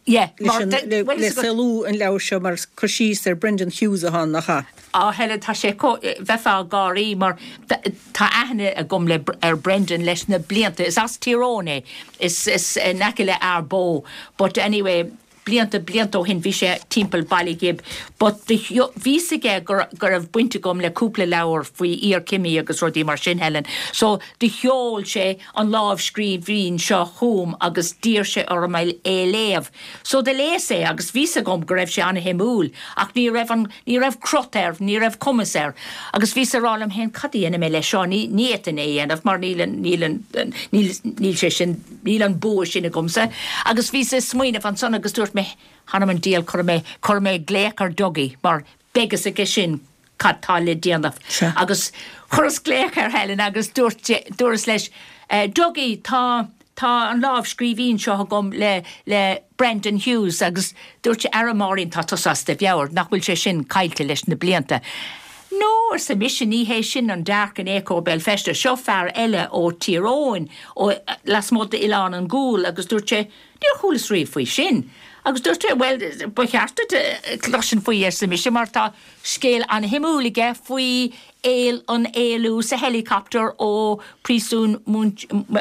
Yeah, leis mar an, de, le, bhuel le is agat. saolú an leabhair seo mar cur síos ar Brendan Hughes atá ann, nach ea? Á, Helen, tá sé chomh, bheifeá ag gáirí mar tá aithne agam le, ar Brendan leis na blianta. Is as Tír Eoghain é, is, is in aice le Ard Bó. But anyway, blianta, blianta ó shin bhí sé timpeall Baile Ghib. But bhí fhios aige go, go raibh baint agam le cúpla leabhar faoi iarchimí agus rudaí mar sin, Helen. So do sheol sé an lámhscríbhinn seo chugam agus d'iarr sé orm é a léamh. So do léas é agus bhí fhios agam go raibh sé ana-shuimiúil ach ní raibh an, ní raibh crot air, ní raibh cumas air. Agus bhíos ag rá liom féin, cad a dhéanfaidh mé leis seo, ní, ní fhéadfainn é a dhéanamh mar níl an, níl an, níl, níl sé sin, níl an bua sin agamsa. Agus bhíos ag smaoineamh ansan agus dúirt mé, th'anam 'on diabhal, cuirfidh mé, cuirfidh mé glaoch ar Dougie mar beidh fhios aige sin cad tá le déanamh. Sea. Agus chuireas glaoch air Helen agus dúirt, dúras leis, Dougie, tá, Tá an lámhscríbhinn seo agam le le Brendan Hughes agus dúirt sé, Ara Máirín, tá tusa as do mheabhair, nach bhfuil sé sin caillte leis na blianta? No, arsa mise, ní hé sin an Dark in Echo Béal Feirste, seo fear eile ó Tír Eoghain, ó lasmuigh d'Oileán an Ghuail agus dúirt sé, Níor chualas riamh faoi sin. Agus dúirt sé, Bhuel, ba cheart duit cloisint faoi, arsa mise, mar tá scéal an-shuimiúil aige faoi an éalú sa helicopter ó phríosún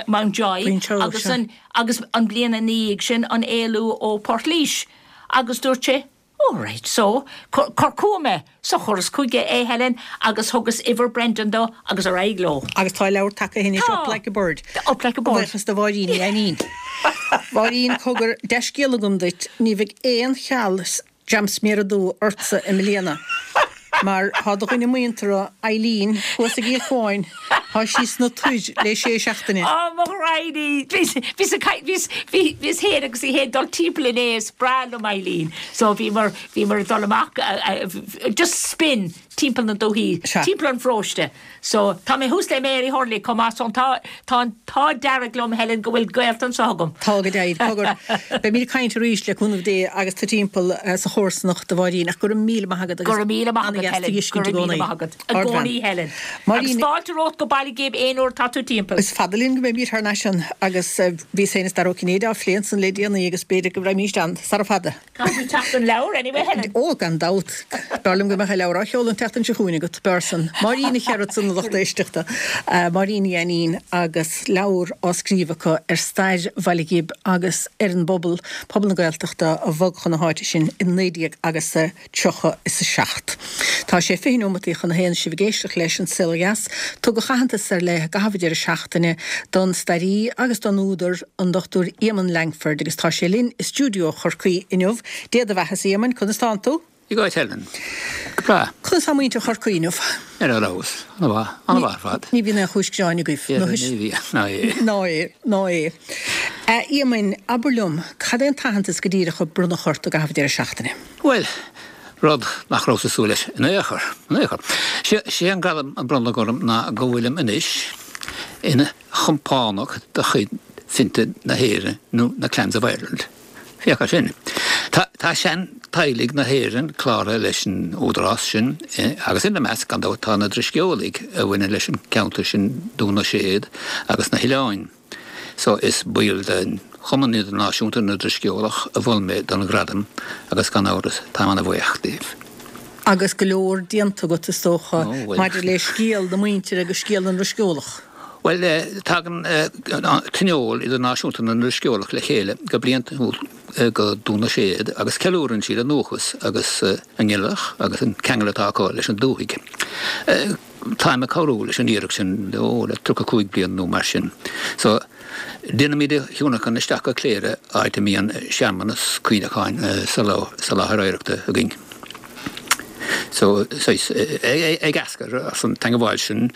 Mountjoy agus an agus an bliain ina dhiaidh sin an éalú ó Portlaoise agus dúirt sé Oh right so, cuir chugam é. So chuireas chuige é Helen agus thugas uimhir Brendan dó agus ar aghaidh leo. Agus tá a leabhar tagtha anois Tá. Up Like a Bird. Up Like a Bird. Buíochas do Mháirín Ní Ainnín. Mháirín, cogar, dea-scéala agam duit, ní bheidh aon cheal jam sméara dubha ortsa i mbliana mar tá do dhuine muinteartha, Eileen, thuas i gCill Chuáin, tá sí sna toir le sé seachtaine. Á, mo ghraidhin í! Bhíos, bhíos ag caint, bhíos, bhí, bhíos féin agus í féin dul timpeall inné, is breá liom Eileen. So bhíomar, bhíomar ag dul amach, just spin. timpeall na dúthaí, timpeall an pharóiste. So, tá mé thuas le Mary Hurley chomh maith so tá, tá an t-ádh dearg liom, Helen, go bhfuil gaolta anseo agam. Tá go deimhin. Cogar, beimid ag caint arís le cúnamh Dé agus tú timpeall sa chomharsanacht, a Mháirín, ach go raibh míle maith agat agus Go raibh míle maith agat, Helen. Go raibh míle maith agat. I gcónaí, Helen. Agus fáilte romhat go Baile Ghib aon uair atá tú timpeall. Is fada linn go mbeimid thar n-ais ann agus bhíos féin is Dara Ó Cinnéide á phlé ansan le déanaí agus b'fhéidir go raghaimíst ann sara fada. Caithfidh tú teacht don leabhar anyway, Helen. Ó, gan dabht. B'fhearr liom go mbeadh an leabhar á sheoladh an tseachtain seo chugainn agat, b'fhearr san. Máirín Nic Gearailt, a lucht éisteachta. Máirín Uí Ainnín agus leabhar á scríobh acu ar stair Bhaile Ghib agus ar an bpobal, pobal na Gaeltachta a bhog chun na háite sin i 19 agus a 37. Tá sé 20 neomataí chun a haon sibh ag éisteacht leis An Saol Ó Dheas. Tugadh aitheantas ar leith i gcaitheamh an deireadh seachtaine don stairí agus don údar, an Dr Éamonn Lankford, agus tá sé linn i stiúideo Chorcaí inniu. Dé do bheathasa, a Éamoinn, conas tánn tú? Dia dhuit, Helen. Go breá. Conas tá muintir Chorcaí inniu? Ar fheabhas. Ana-mhaith. Ana-mhaith ar fad. Ní bhíonn aon chúis gearáin agaibh. Ní bhíonn. Ná é. Ná é. Ná é. A Éamoinn, abair liom, cad é an t-aitheantas go díreach a bronnadh ort i gcaitheamh an deireadh seachtaine? Bhuel, rud nach rabhas ag súil leis in aon chor, in aon chor. Sé an gradam a bronnadh orm ná go bhfuilim anois ina chompánach de chuid Finte na hÉireann nó na Clans of Ireland. Féach air sin. Tá, tá sean-teaghlaigh na hÉireann cláraithe leis an údarás sin agus ina measc, gan dabht, tá na Drisceolaigh a bhaineann leis an gceantar sin, Dún na Séad agus na hOileáin. So is baill de Chumann Idirnáisiúnta na nDrisceolach a mhol mé don ghradam agus gan amhras táim ana-bhuíoch díobh. Agus go leor déanta agat is dócha maidir le scéal na muintire agus scéal na nDrisceolach. Bhuel, tagann Tionól Idirnáisiúnta na nDrisceolach le chéile go bliantúil go Dún na Séad agus ceiliúrann siad a ndúchas agus a nginealach agus an ceangal atá acu leis an dúthaigh. Táim ag cabhrú leis an iarracht sin ó le 35 bliain nó mar sin. So, déanaimid a thionlacan isteach go Cléire, áit a mbíonn searmanas cuimhneacháin sa láthair oidhreachta againn. So, saghas, ag eascair as an teangabháil sin,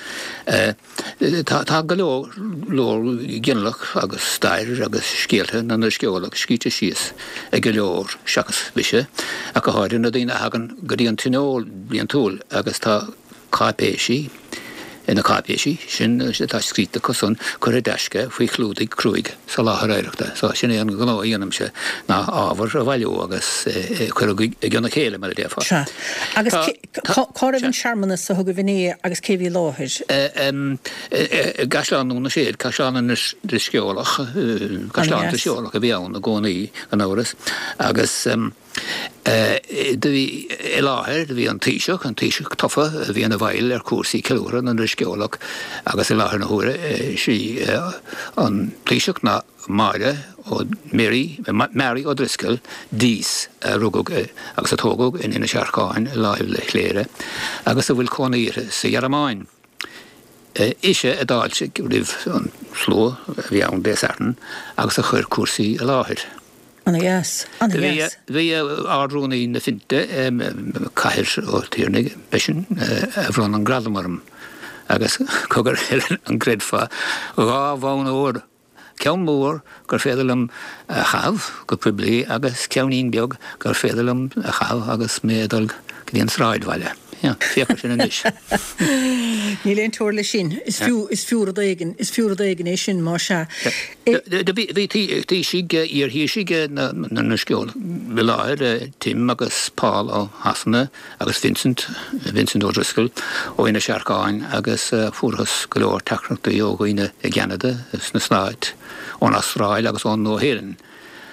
tá go leor leor ginealach agus stair agus scéalta na nDrisceolach scríte síos ag go leor seachas mise, ach go háirithe na daoine a thagann go dtí an tionól bliantúil agus tá cáipéisí, na cáipéisí sin atá scríte acu san curtha i dtaisce faoi chlúdaigh cruaidh sa láthair oidhreachta. So, sin é an gnó a dhéanaimse ná ábhar a bhailiú agus é a chur i gcionn a chéile, mar a déarfá. Sea. Agus cá raibh an searmanas a thugaibh inné agus cé bhí i láthair? I gCaisleán Dhún na Séad, Caisleán na nDrisceolach, Caisleán Drisceolach a bhí ann i gcónaí, gan amhras, agus. Do bhí i láthair, do bhí an Taoiseach, an Taoiseach tofa a bhí ina bhfeighil ar chúrsaí ceiliúrtha na nDrisceolach agus i láthair na huaire sí an Taoiseach ná Máire Ó Mary, Mary O'Driscoll, Dease, a rugadh agus a tógadh in Inis Earcáin i láimh le Cléire agus a bhfuil cónaí uirthi sa Ghearmáin. Ise a d'fháiltigh roimh an slua a bhí ann Dé Sathairn agus a chuir cúrsaí i láthair. Ana-dheas. Ana-dheas. Bhí Ard-Rúnaí na Finte, Cathair Ó Tiarnaigh, b'eisean a bhronn an gradam orm agus cogar Helen an gcreidfeá, 2 bhonn óir, ceann mór gur féidir liom a chaitheamh go poiblí agus ceainnín beag gur féidir liom a chaitheamh agus mé ag dul go dtí an sráidbhaile. Féach air sin anois. Níl aon teora leis sin. Is fiú, is fiú rud éigin, is fiú rud éigin é sin, más ea. Do bhí taoisigh, iar-thaoisigh na nDrisceolach i láthair, Tim agus Paul ó Shasana agus Vincent, Vincent O'Driscoll ó Inis Earcáin agus fuarthas go leor teachtaireachtaí ó dhaoine i gCeanada, sna Stáit, ón Astráil agus ón Nua-Shéalainn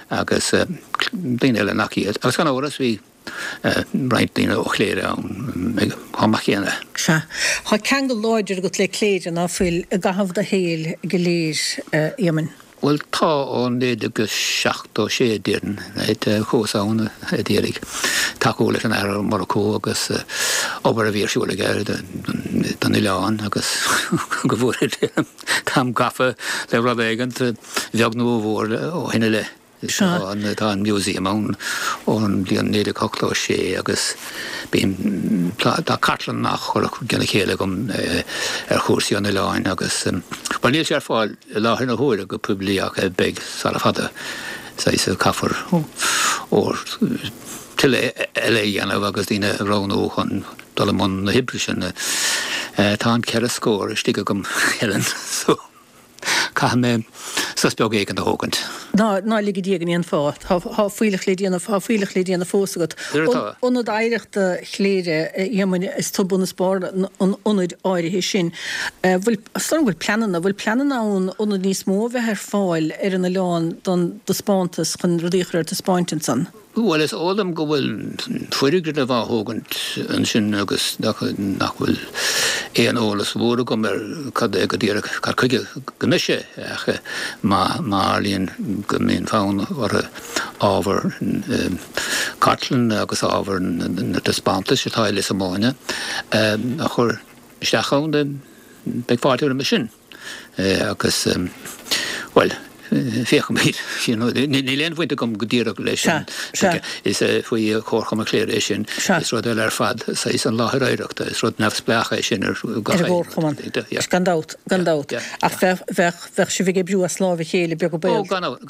agus daoine eile nach iad. Agus gan amhras bhí. roinnt daoine ó Chléire ann chomh maith céanna. Sea. Tá ceangal láidir agat le Cléire, ná fuil, i gcaitheamh do shaoil go léir, a Éamoinn? Bhuel, tá, ó 1976, déarfainn, right, chuas ann a d'iarraidh tacú leis an Athair Ó Murchú agus obair a bhí ar siúl aige don oileán agus go bhfóire Dia táim gafa le rud éigint, a bheag nó a mhór, ó shin i leith. Tá an museum ann ón bhliain 1986 agus bím, tá cartlann á chur i gcionn a chéile agam ar chúrsaí an oileáin agus, bhuel níl sé ar fáil i láthair na huaire go poiblí ach beidh sara fada, saghas caithfear tuilleadh eile a dhéanamh agus daoine a roghnú chun. dul i mbun na hoibre sin. Tá an 4 scór istigh agam, Helen, so caithfidh mé sos beag éigin a thógaint. Ná, ná lig i Dia gan aon fáth. Tá, tá fuílleach le déanamh, tá fuílleach le déanamh fós agat. Ionad Oidhreachta Chléire, a Éamoinn, is tú bun is barr an ionaid áirithe sin. Bhfuil, is dóigh liom go bhfuil pleananna, bhfuil pleananna ann ionad níos mó a bheith ar fáil ar an oileán don dtaispeántas, chun rudaí a chur ar taispeáint ansan? Bhuel, is eol dom go bhfuil foirgneamh á thógaint ansin agus nach bhfuil aon eolas mhór agam ar cad é go díreach, cad chuige go mbeidh sé ach má tharlaíonn go mbíonn fonn orthu ábhar cartlainne agus ábhar na dtaispeántais atá i Lios Omáine a chur isteach ann, beidh fáilte roimhe sin. Agus, bhuel, féachfaimid. Níl aon bhaint agam go díreach leis sin. Is faoi Chomharchumann Chléire é sin. Is rud eile ar fad saghas an láthair oidhreachta. Is rud neamhspleách é sin ar gach aon gComharchumann. Gan dabht, gan dabht. Ach bheadh, bheadh sibh ag oibriú as láimh a chéile beag an baol. Ó, gan amhras,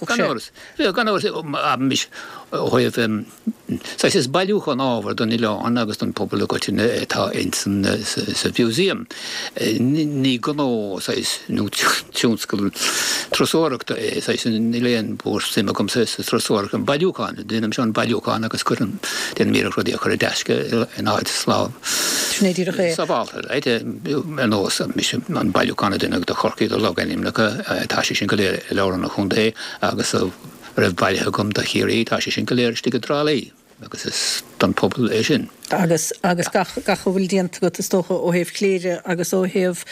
gan amhras. Gan amhras, abraimis, ó thaobh Saghas is bailiúchán ábhair don oileán agus don phobal i gcoitinne atá ins an sa mhúsaem. Ní gnó saghas nó tionscal turasóireachta é, saghas níl aon mhór-suim agamsa sa turasóireacht, an bailiúchán, déanaimse an bailiúchán agus cuirim, déanaim iarracht rudaí a chur i dtaisce in áit slán Sin é díreach é. sábhálta, right, ar nós an bailiúchán a deineadh de Chorcaigh de logainmneacha, tá sé sin go léir i Leabharlann an Chontae agus a raibh bailithe agam do Chiarraí, tá sé sin go léir istigh i dTrá Lí agus is don phobal é sin. Agus, agus gach, gach a bhfuil déanta agat is dócha ó thaobh Chléire agus ó thaobh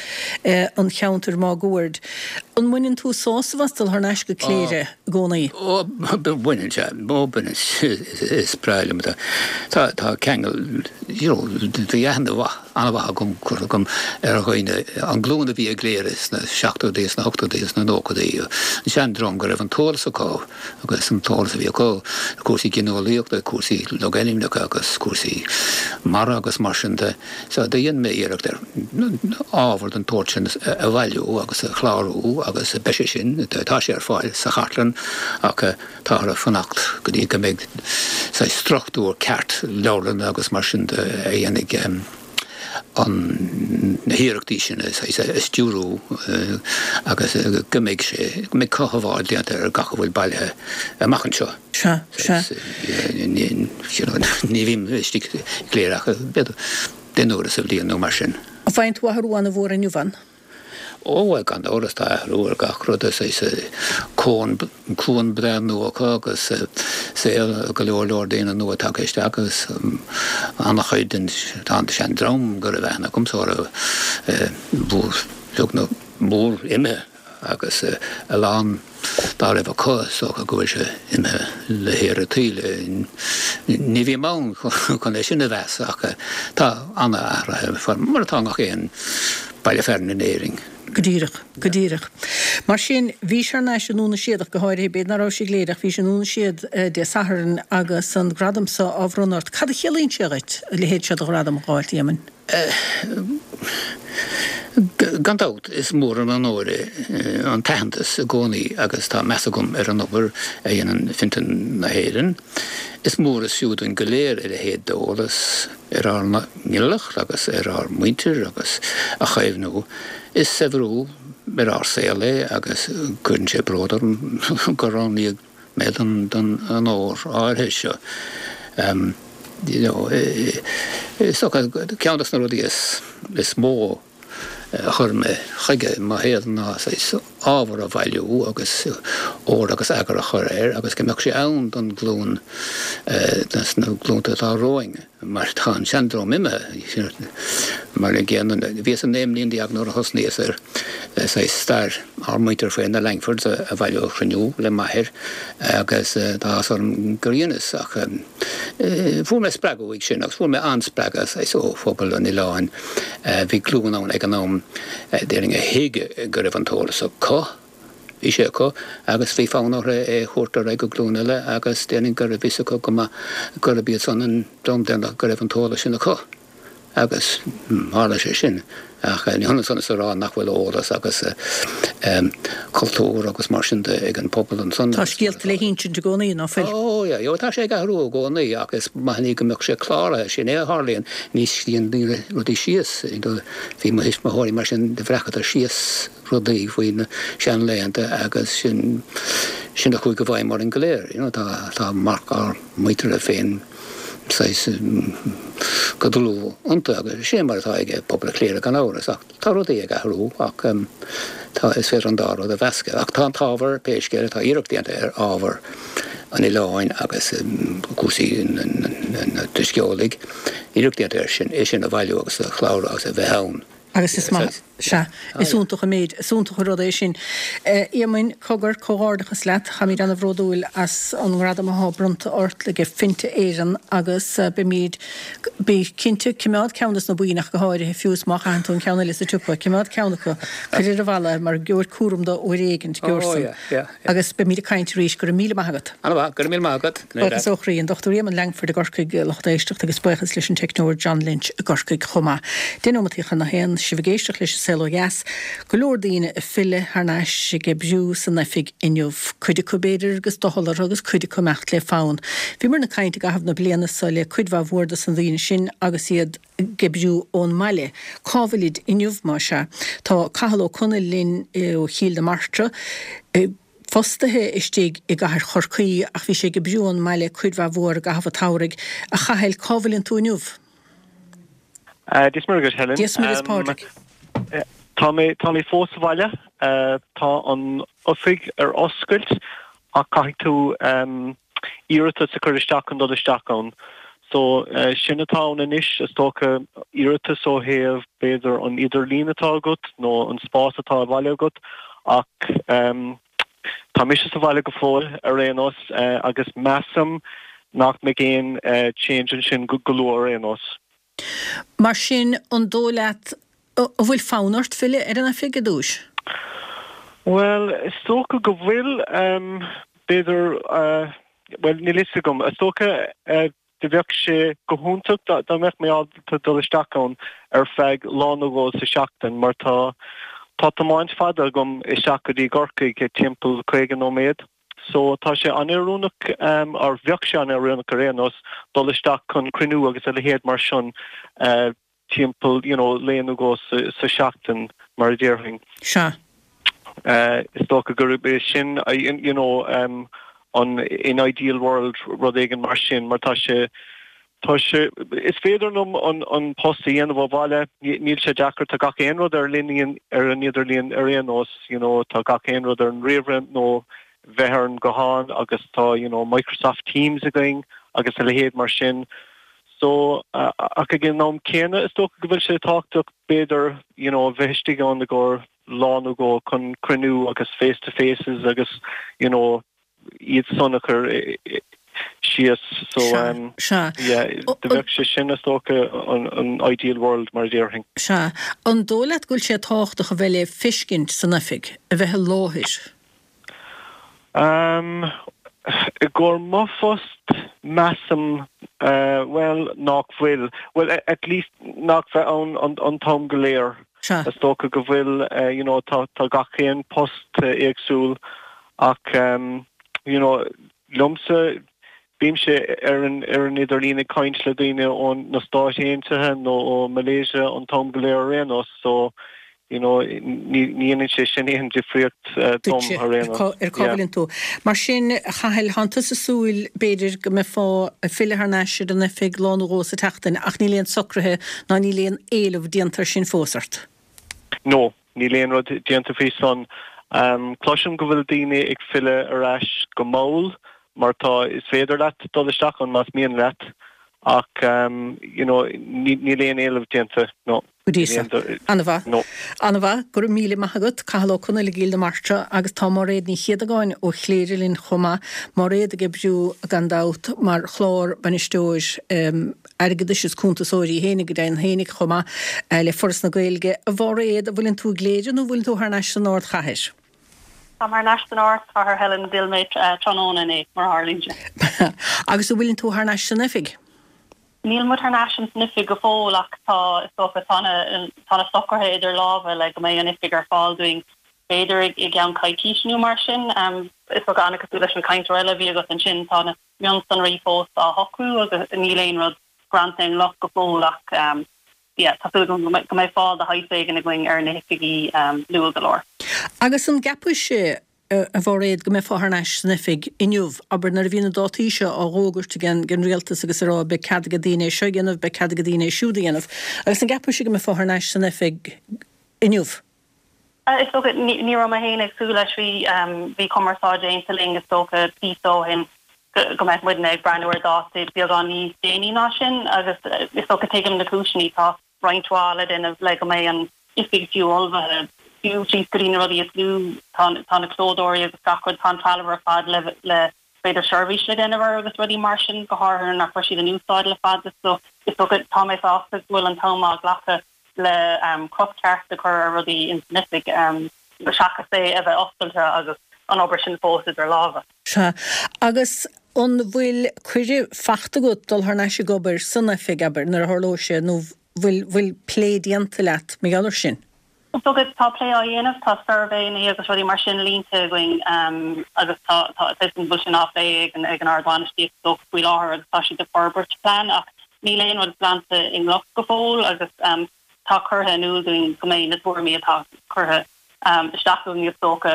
an cheantair máguaird. An mbaineann tú sásamh as dul thar n-ais go Cléire i gcónaí? Ó, baineann, sea, ó baineann, is breá liom, tá, tá ceangal, you know, bhí aithne mhaith an-mhaith agam, curtha agam ar dhaoine, an glúin a bhí i gCléire sna seachtóidí, sna hochtóidí, sna nóchaidí, an seandream go raibh an t-eolas acu agus an t-eolas a bhí acu, cúrsaí gineolaíochta, cúrsaí logainmneacha agus cúrsaí mara agus mar sin de. So do dhein mé iarracht ar ábhar den tsórt sin a bhailiú agus a chlárú agus beidh sé sin, tá sé ar fáil sa chartlann ach, Táthar ag fanacht go dtí go mbeidh saghas struchtúr ceart leabharlainne agus mar sin de a dhéanfaidh an na hiarrachtaí sin a saghas a stiúrú agus go mbeidh sé, go mbeidh cothabháil déanta ar gach a bhfuil bailithe amach anseo. Sea, sea. Ní bhím istigh i gCléire ach b'fhéidir d'aon uair sa bhliain nó mar sin. An bhfaigheann tú athrú an-mhór inniu ann? Ó, bhuel, gan amhras, tá athrú ar gach rud, is cuan, cuan breá nua acu agus saol go leor leor daoine nua tagtha isteach agus an-chuid den, tá an seandream go raibh aithne agamsa orthu beag nó mór imithe agus a lán dá raibh acu, is dócha go bhfuil sé imithe le haer an tsaoil. Ní bhím ann chun é sin a mheas ach tá an-athruithe, mar atá i ngach aon baile fearainn in Éirinn. Go díreach, go díreach. Mar sin, bhís thar n-ais i nDún na Séadach go háirithe, b'fhéidir ná rabhais i gCléire ach bhís i nDún na Séad Dé Sathairn agus an gradam so á bhronnadh ort. Cad a chiallaíonn sé dhuit, a leithéid seo de ghradam a dh'fháilt, a Éamoinn? Gan dabht, is mór an onóir é an t-aitheantas i gcónaí agus tá meas agam ar an obair a dhéanann Fiontar na hÉireann. Is mór is fiú dúinn go léir a leithéid d'eolas ar ár nginealach agus ar ár muintir agus a chaomhnú. Is saibhriú ar ár saol é agus cuireann sé bród orm gur roghnaíodh mé don onóir áirithe seo. You know, is dócha ceann de na rudaí is mó a chuir mé chuige i mo shaol ná saghas ábhar a bhailiú agus ord agus eagar a chur air agus go mbeadh sé ann don ghlúin, dos na glúnta atá romhainn. Mar tá an seandream imithe. Mar an gcéanna, bhíos 19 mbliana nuair a thosnaíos ar saghas stair ár muintir féin, na Langfords, a bhailiú, a chruinniú le m'athair agus tá áthas orm gur dheineas ach fuair mé spreagadh uaidh sin agus fuair mé an-spreagadh saghas ó phobal an oileáin. Bhí glúin ann ag an am, déarfainn, a thuig go raibh an t-eolas acu. Bhí sé acu agus bhí fonn orthu é a thabhairt ar aghaidh go glúin eile agus déarfainn go raibh fhios acu go maith gurb iad san an dream deireanach go raibh an t-eolas sin acu. Agus tharla sé sin. Ach ní hionann san is a rá nach bhfuil eolas agus cultúr agus mar sin de ag an bpobal ansan. Tá scéalta le hinsint i gcónaí, ná fuil? Ó, yeah, tá sé ag athrú i gcónaí ach is maith an ní go mbeadh sé cláraithe. Sin é a tharlaíonn, ní scríobhann daoine rudaí síos. Bhí mo thuismitheoirí mar sin, do bhreacadar síos rudaí faoi na seanlaethanta agus sin, sin a chuaigh i bhfeidhm orainn go léir. You know, tá, tá marc ár muintire féin saghas go dlúth iontu agus sin é mar atá ag pobal Chléire gan amhras ach tá rudaí ag athrú ach tá, is féidir an dá rud a mheascadh. Ach tá an t-ábhar, pé scéal é, tá iarracht déanta ar ábhar an oileáin agus cúrsaí na Drisceolaigh, iarracht déanta air sin, é sin a bhailiú agus a chlárú agus a bheith ann. Agus is maith, sea, is iontach an méid, is iontach an rud é sin. A Éamoinn, cogar, comhghairdeachas leat, táimid ana-bhródúil as an ngradam athá bronnta ort ag Finte Éireann agus beimid, bí cinnte, cimeád ceann des na boinn ach go háirithe, fiú is má chaitheann tú an ceann eile sa tsiopa, cimeád ceann acu, cuir ar an bhalla é mar gheobhair cúram dó uair éigint, gheobhair san. Agus beimid ag caint arís. Go raibh míle maith agat. Ana mhaith. Go raibh míle maith agat. Buíochas ó chroí. An Dr Éamonn Langford i gCorcaigh, lucht éisteachta, agus buíochas leis an teicneoir John Lynch i gCorcaigh chomh maith. 10 nóimeataí chun a haon, sibh ag éisteacht leis an Saol Ó Dheas. Go leor daoine ag filleadh thar n-ais ag oibriú san oifig inniu. Cuid acu b'fhéidir agus doicheall orthu agus cuid acu imeacht le fonn. Bhíomar ag caint i gcaitheamh na bliana so le cuid mhaith mhór dos na daoine sin agus iad ag oibriú ón mbaile. Cá bhfuilid inniu, más ea? Tá Cathal Ó Conaill linn ó Chill na Martra, fostaithe istigh i gcathair Chorcaí ach bhí sé ag oibriú ón mbaile cuid mhaith mhór i gcaitheamh an tsamhraidh. A Chathail, cá bhfuileann tú inniu? Dia is Muire dhuit, Helen. Dia is Muire is Pádraig. Tá mé, tá mé fós sa bhaile. Tá an oifig ar oscailt ach caithfidh tú iarratas a chur isteach chun dul isteach ann. So, sin atá ann anois, is dócha, iarratas ó thaobh, b'fhéidir, an idirlíon atá agat nó an spás atá sa bhaile agat ach tá mise sa bhaile go fóill ar aon nós agus measaim nach mbeidh aon change ansin go luath ar aon nós. Mar sin, an dóigh leat, an bhfuil fonn ort filleadh ar an oifig i dtús? Bhuel, is dócha go bhfuil. B'fhéidir, bhuel, níl fhios agam. Is dócha do bheadh sé go hiontach dá mbeadh mé ábalta dul isteach ann ar feadh lá nó dhó sa seachtain mar tá tá tiomáint fada agam isteach go dtí gCorcaigh, timpeall 50 nóiméad. So tá sé an-oiriúnach, or bheadh sé an-oiriúnach ar aon nós, dul isteach chun cruinniú agus a leithéid mar sin timpeall, you know, lae nó dhó sa seachtain, mar a déarfainn. Sea. Is dócha gurb é sin, you know, an in ideal world, rud éigin mar sin, mar tá sé, Tá sé, is féidir liom an post a dhéanamh ó bhaile, níl sé deacair, tá gach aon rud ar líne, ar an idirlíon ar aon nós, you know, tá gach aon rud ar an ríomhaire nó bheith ar an guthán agus tá, you know, Microsoft Teams againn agus a leithéid mar sin. So, ach ag an am céanna is dócha go bhfuil sé tábhachtach b'fhéidir, you know, bheith istigh ann i gcomhair lá nó dhó chun cruinniú agus face to faces agus, you know, iad san a chur síos. So, Sea. yeah, do bheadh sé sin is dócha an ideal world mar a déarfainn. Sea. An dóigh leat go bhfuil sé tábhachtach a bheith le feiscint san oifig, a bheith i láthair? Um, i gcomhair mo phost, measaim, bhuel, nach bhfuil. Bhuel, at least nach bheith ann an t-am go léir. Sea. Is dócha go bhfuil, you know, tá gach aon post éagsúil ach, you know, liomsa, bímse ar an ar an idirlíon ag caint le daoine ó na Stáit Aontaithe nó ó Malaysia an t-am go léir ar aon nós so, you know, ní dhéanann sé sin aon difríocht dom ar aon nós. Ar cá bhfuileann tú. Mar sin, a Chathail, thánn tusa ag súil, b'fhéidir, go mbeifeá ag filleadh thar n-ais ar an oifig lá nó dhó sa tseachtain ach níl aon socruithe ná níl aon éileamh déanta ar sin fós ort. No, níl aon rud déanta faoi san. Cloisim go bhfuil daoine ag filleadh ar ais go mall mar tá, is féidir leat dul isteach ann más mian leat ach you know níl aon éileamh déanta, no. Go dtí seo. Ana-mhaith. Ana-mhaith. Go raibh míle maith agat, Cathal Ó Conaill i gCill na Martra agus tá Máiréad Ní Chéadagáin ó Chléire linn chomh maith. Máiréad ag oibriú, gan dabht, mar chlár bainisteoir airgeadais is cuntasóir í fhéinig, go deimhin fhéinig chomh maith, le Foras na Gaeilge. A Mháiréad, an bhfuileann tú i gCléire nó an bhfuileann tú thar n-ais san ardchathair? Táim thar n-ais san ardchathair, Helen, d'fhill mé tráthnóna inné, mar a tharlaíonn sé. Agus an bhfuileann tú thar n-ais san oifig? Níl muid thar n-ais ins an oifig go fóill ach tá, is dócha, tá na, tá na socruithe idir lámha le go mbeidh an oifig ar fáil dúinn b'fhéidir i gceann coicíse nó mar sin. Is dócha, an-cosúil leis an chainteoir eile a bhí agat ansin, tá na mionsonraí fós á shocrú agus níl aon rud greanta i gcloch go fóill ach yeah, tá súil agam go mbeidh fáil de shaghas éigin againn ar na hoifigí luath go leor. Agus an gceapaimse a Mháiréad, go mbeifeá thar n-ais san oifig inniu, abair, nuair a bhí na dátaí seo á bhfógairt ag an rialtas agus ag rá beidh cead ag daoine é seo a dhéanamh, beidh cead ag daoine é siúd a dhéanamh. Agus an gceapaimse go mbeifeá thar n-ais san oifig inniu? Is dócha, ní raibh mé féin ag súil leis, bhí, bhí cumarsáid déanta linn is dócha píosa ó shin go mbeadh muidne ag breathnú ar dáta beagán níos déanaí ná sin agus is dócha tuigim na cúiseanna, tá roinnt mhaith le déanamh le go mbeidh an oifig fiú ullmhaithe, fiú síos go dtí na rudaí is lú, tá tá na clódóirí agus gach rud, tá an trealamh ar fad le le b'fhéidir seirbhís le déanamh air agus rudaí mar sin, go háirithe nuair nach raibh siad in úsáid le fada. So is dócha, tá mé sásta go bhfuil an t-am á ghlacadh le cruth ceart a chur ar rudaí ins an oifig, seachas é a bheith oscailte agus an obair sin fós idir lámha. Sea. Agus an bhfuil cuireadh fachta agat dul thar n-ais ag obair san oifig, abair, nuair a tharlóidh sé, nó bhfuil, bhfuil plé déanta leat mar gheall air sin? Is dócha, tá plé á dhéanamh, tá suirbhéanna agus rudaí mar sin líonta againn agus tá, tá, tá an bhfuil sin á phlé ag an, ag an ardbhainistíocht is dócha faoi láthair agus tá siad ag forbairt plean ach níl aon rud greanta i gcloch go fóill agus tá curtha in iúl dúinn go mbeidh na tuairimí atá curtha isteach againn is dócha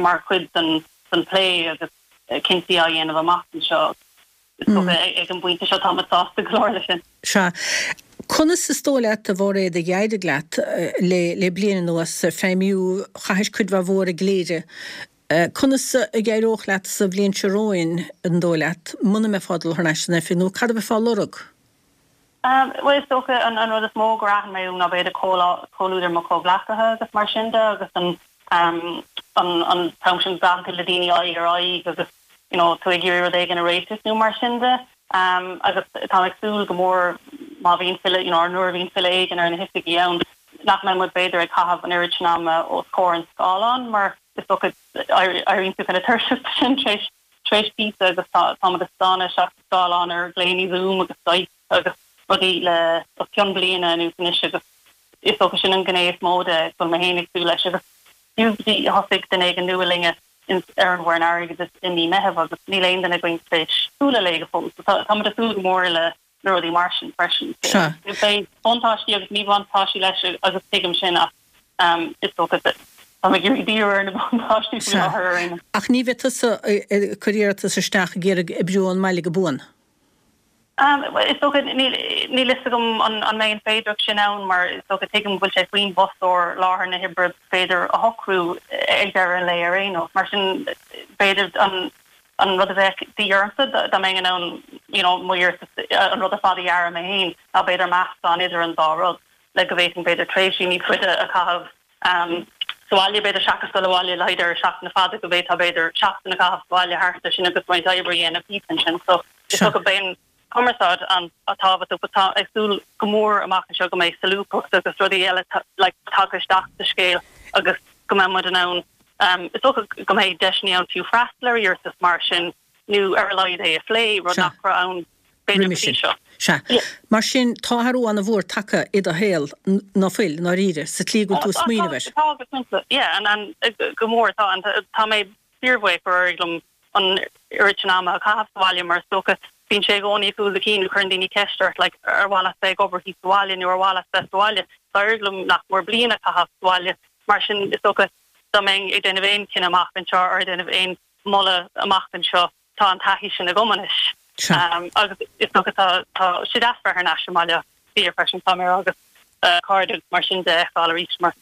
mar chuid den den plé agus cinntí á dhéanamh amach anseo. Is dócha ag an bpointe seo táimid sásta go leor leis sin. Sea. Conas is dóigh leat, a Mháiréad, a d'éirigh leat le le bliain anuas feidhmiú, chaithis cuid mhaith mhór i gCléire. Conas a d'éireodh leat sa bhliain seo romhainn, an dóigh leat, muna mbeifeá ag dul thar n-ais san oifig, nó cad a bheifeá a lorg? Bhuel, is dócha an rud is mó gur aithin mé uaim ná b'fhéidir comhluadar mo chomhghleacaithe agus mar sin de agus an an t-am sin glacadh le daoine aghaidh ar aghaidh agus you know tú ag iarraidh rud éigin a réiteach nó mar sin de. Agus táim ag súil go mór má bhíonn filleadh, you know, nuair a bhíonn filleadh éigin ar na hoifigí ann nach mbeidh muid b'fhéidir ag caitheamh an oiread sin ama os comhair an scáileáin mar is dócha éiríonn tú kind of tuirseach de sin tar éis tar éis píosa agus táimid ag stánadh isteach sa scáileán ar ghlaonna Zoom agus Skype agus rudaí le os cionn bliana anuas anois agus is dócha sin an ghné is mó de go bhfuil mé féin ag súil leis agus fiú go dtí thosaigh duine éigin nua linne ar an bhfoireann airgeadais i mí Meitheamh agus níl aon duine againn tar éis bualadh léi go fóill so táimid ag súil go mór le na rudaí mar sin freisin. Sea. Beidh buntáistí agus míbhuntáistí leis agus tuigim sin ach is dócha táim ag iarraidh díriú ar na buntáistí faoi láthair ar aon nós. Ach ní bheidh tusa ag cur iarratas isteach ag iarraidh oibriú ón mbaile go buan? Is dócha, níl fhios agam an mbeidh an féidearthacht sin ann mar is dócha tuigim go bhfuil sé faoin bhfostóir láthair na hoibre b'fhéidir a shocrú ag deireadh an lae ar aon nós. Mar sin b'fhéidir an An rud a bheadh de dhíth ormsa dá mbeinn in ann you know mo iarratas, an rud ar fad a dhearadh mé féin, ná b'fhéidir meascán idir an dá rud le go bhféadfainn b'fhéidir tréimhsí níos faide a chaitheamh sa bhaile b'fhéidir seachas dul abhaile le haghaidh deireadh seachtaine fada go bhféadfá b'fhéidir seachtain a chaitheamh sa bhaile thart air sin agus roinnt oibre a dhéanamh thíos ansin. So is dócha beidh an cumarsáid an-tábhachtach but tá ag súil go mór amach anseo go mbeidh solúbthacht agus rudaí eile like tagtha isteach sa scéal agus go mbeidh muid in ann is dócha go mbeidh deiseanna ann fiú freastal ar iarratas mar sin nó ar a laghad é a phlé, rud nach raibh ann b'fhéidir go dtí seo. Sea. Mar sin, tá athrú an-mhór tagtha i do shaol, ná fuil, i ndáiríre, sa tslí go bhfuil tú ag smaoineamh air? Tá, go cinnte. Yeah, and go mór tá. Tá mé fíorbhuíoch gur éirigh liom an oiread sin ama a chaitheamh sa bhaile mar is dócha bíonn sé i gcónaí i gcúl do chinn, cuireann daoine ceist ort like ar mhaith leat bheith ag obair thíos sa bhaile nó ar mhaith leat bheith sa bhaile. D'éirigh liom nach mór bliain a chaitheamh sa bhaile mar sin is dócha dá mbeinn ag déanamh aon chinneadh amach anseo or ag déanamh aon mholadh amach anseo tá an taithí sin agam anois. Agus is dócha tá tá sé deas bheith thar n-ais i mBaile Átha Cliath freisin tá mé agus cairde agus mar sin de a fheiceáil arís mar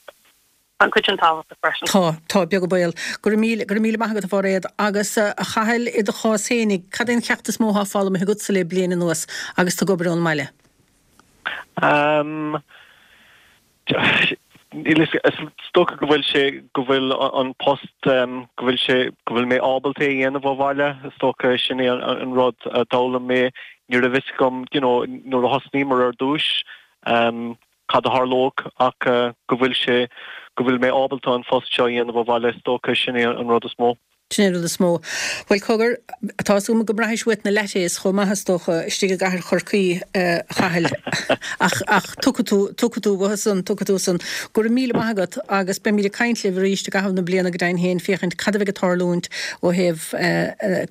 Tá an chuid sin tábhachtach freisin. Tá, tá, beag an baol. Go raibh míle, go raibh míle maith agat a Mháiréad. Agus a Chathail, i do chás fhéinig, cad é an ceacht is mó atá foghlamtha agatsa le bliain anuas agus tú ag obair ón mbaile? Ehm, níl a fhios, is dócha go bhfuil sé, go bhfuil an post, go bhfuil sé, go bhfuil mé ábalta é a dhéanamh ó bhaile, is dócha sin é an rud a d'fhoghlaim mé. Ní raibh fhios agam, you know, nuair a thosnaíomar ar dtúis, cad a tharlódh ach go bhfuil sé, go bhfuil mé ábalta an phost seo a dhéanamh ó bhaile, is dócha sin é an rud is mó. Sin é an rud is mó. Bhuel, cogar, tá 'fhios agam go mbraithis uait na lattes chomh maith, is dócha, istigh i gcathair Chorcaí, a Chathail. Ach, ach tiocfaidh tú, tiocfaidh tú uathu san, tiocfaidh tú san. Go raibh míle maith agat agus beimid ag caint libh arís i gcaitheamh na bliana go deimhin féin féachaint cad a bheidh ag tarlúint ó thaobh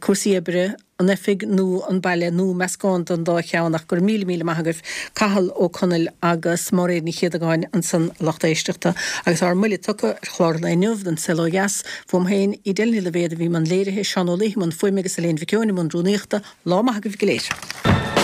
cúrsaí oibre, an oifig nó an baile nó meascán den dá cheann ach go raibh míle míle maith agaibh Cathal Ó Conaill agus Máiréad Ní Chéadagáin ansan a lucht éisteachta agus ár mbuille tugtha ar chlár an lae inniu den Saol Ó Dheas fúm féin Edel Ní Loibhéad a bhí i mbun léirithe, Seán Ó Laoithe i mbun fuaime agus Elaine Mhic Eoin i mbun rúnaíochta. Lá maith agaibh go léir.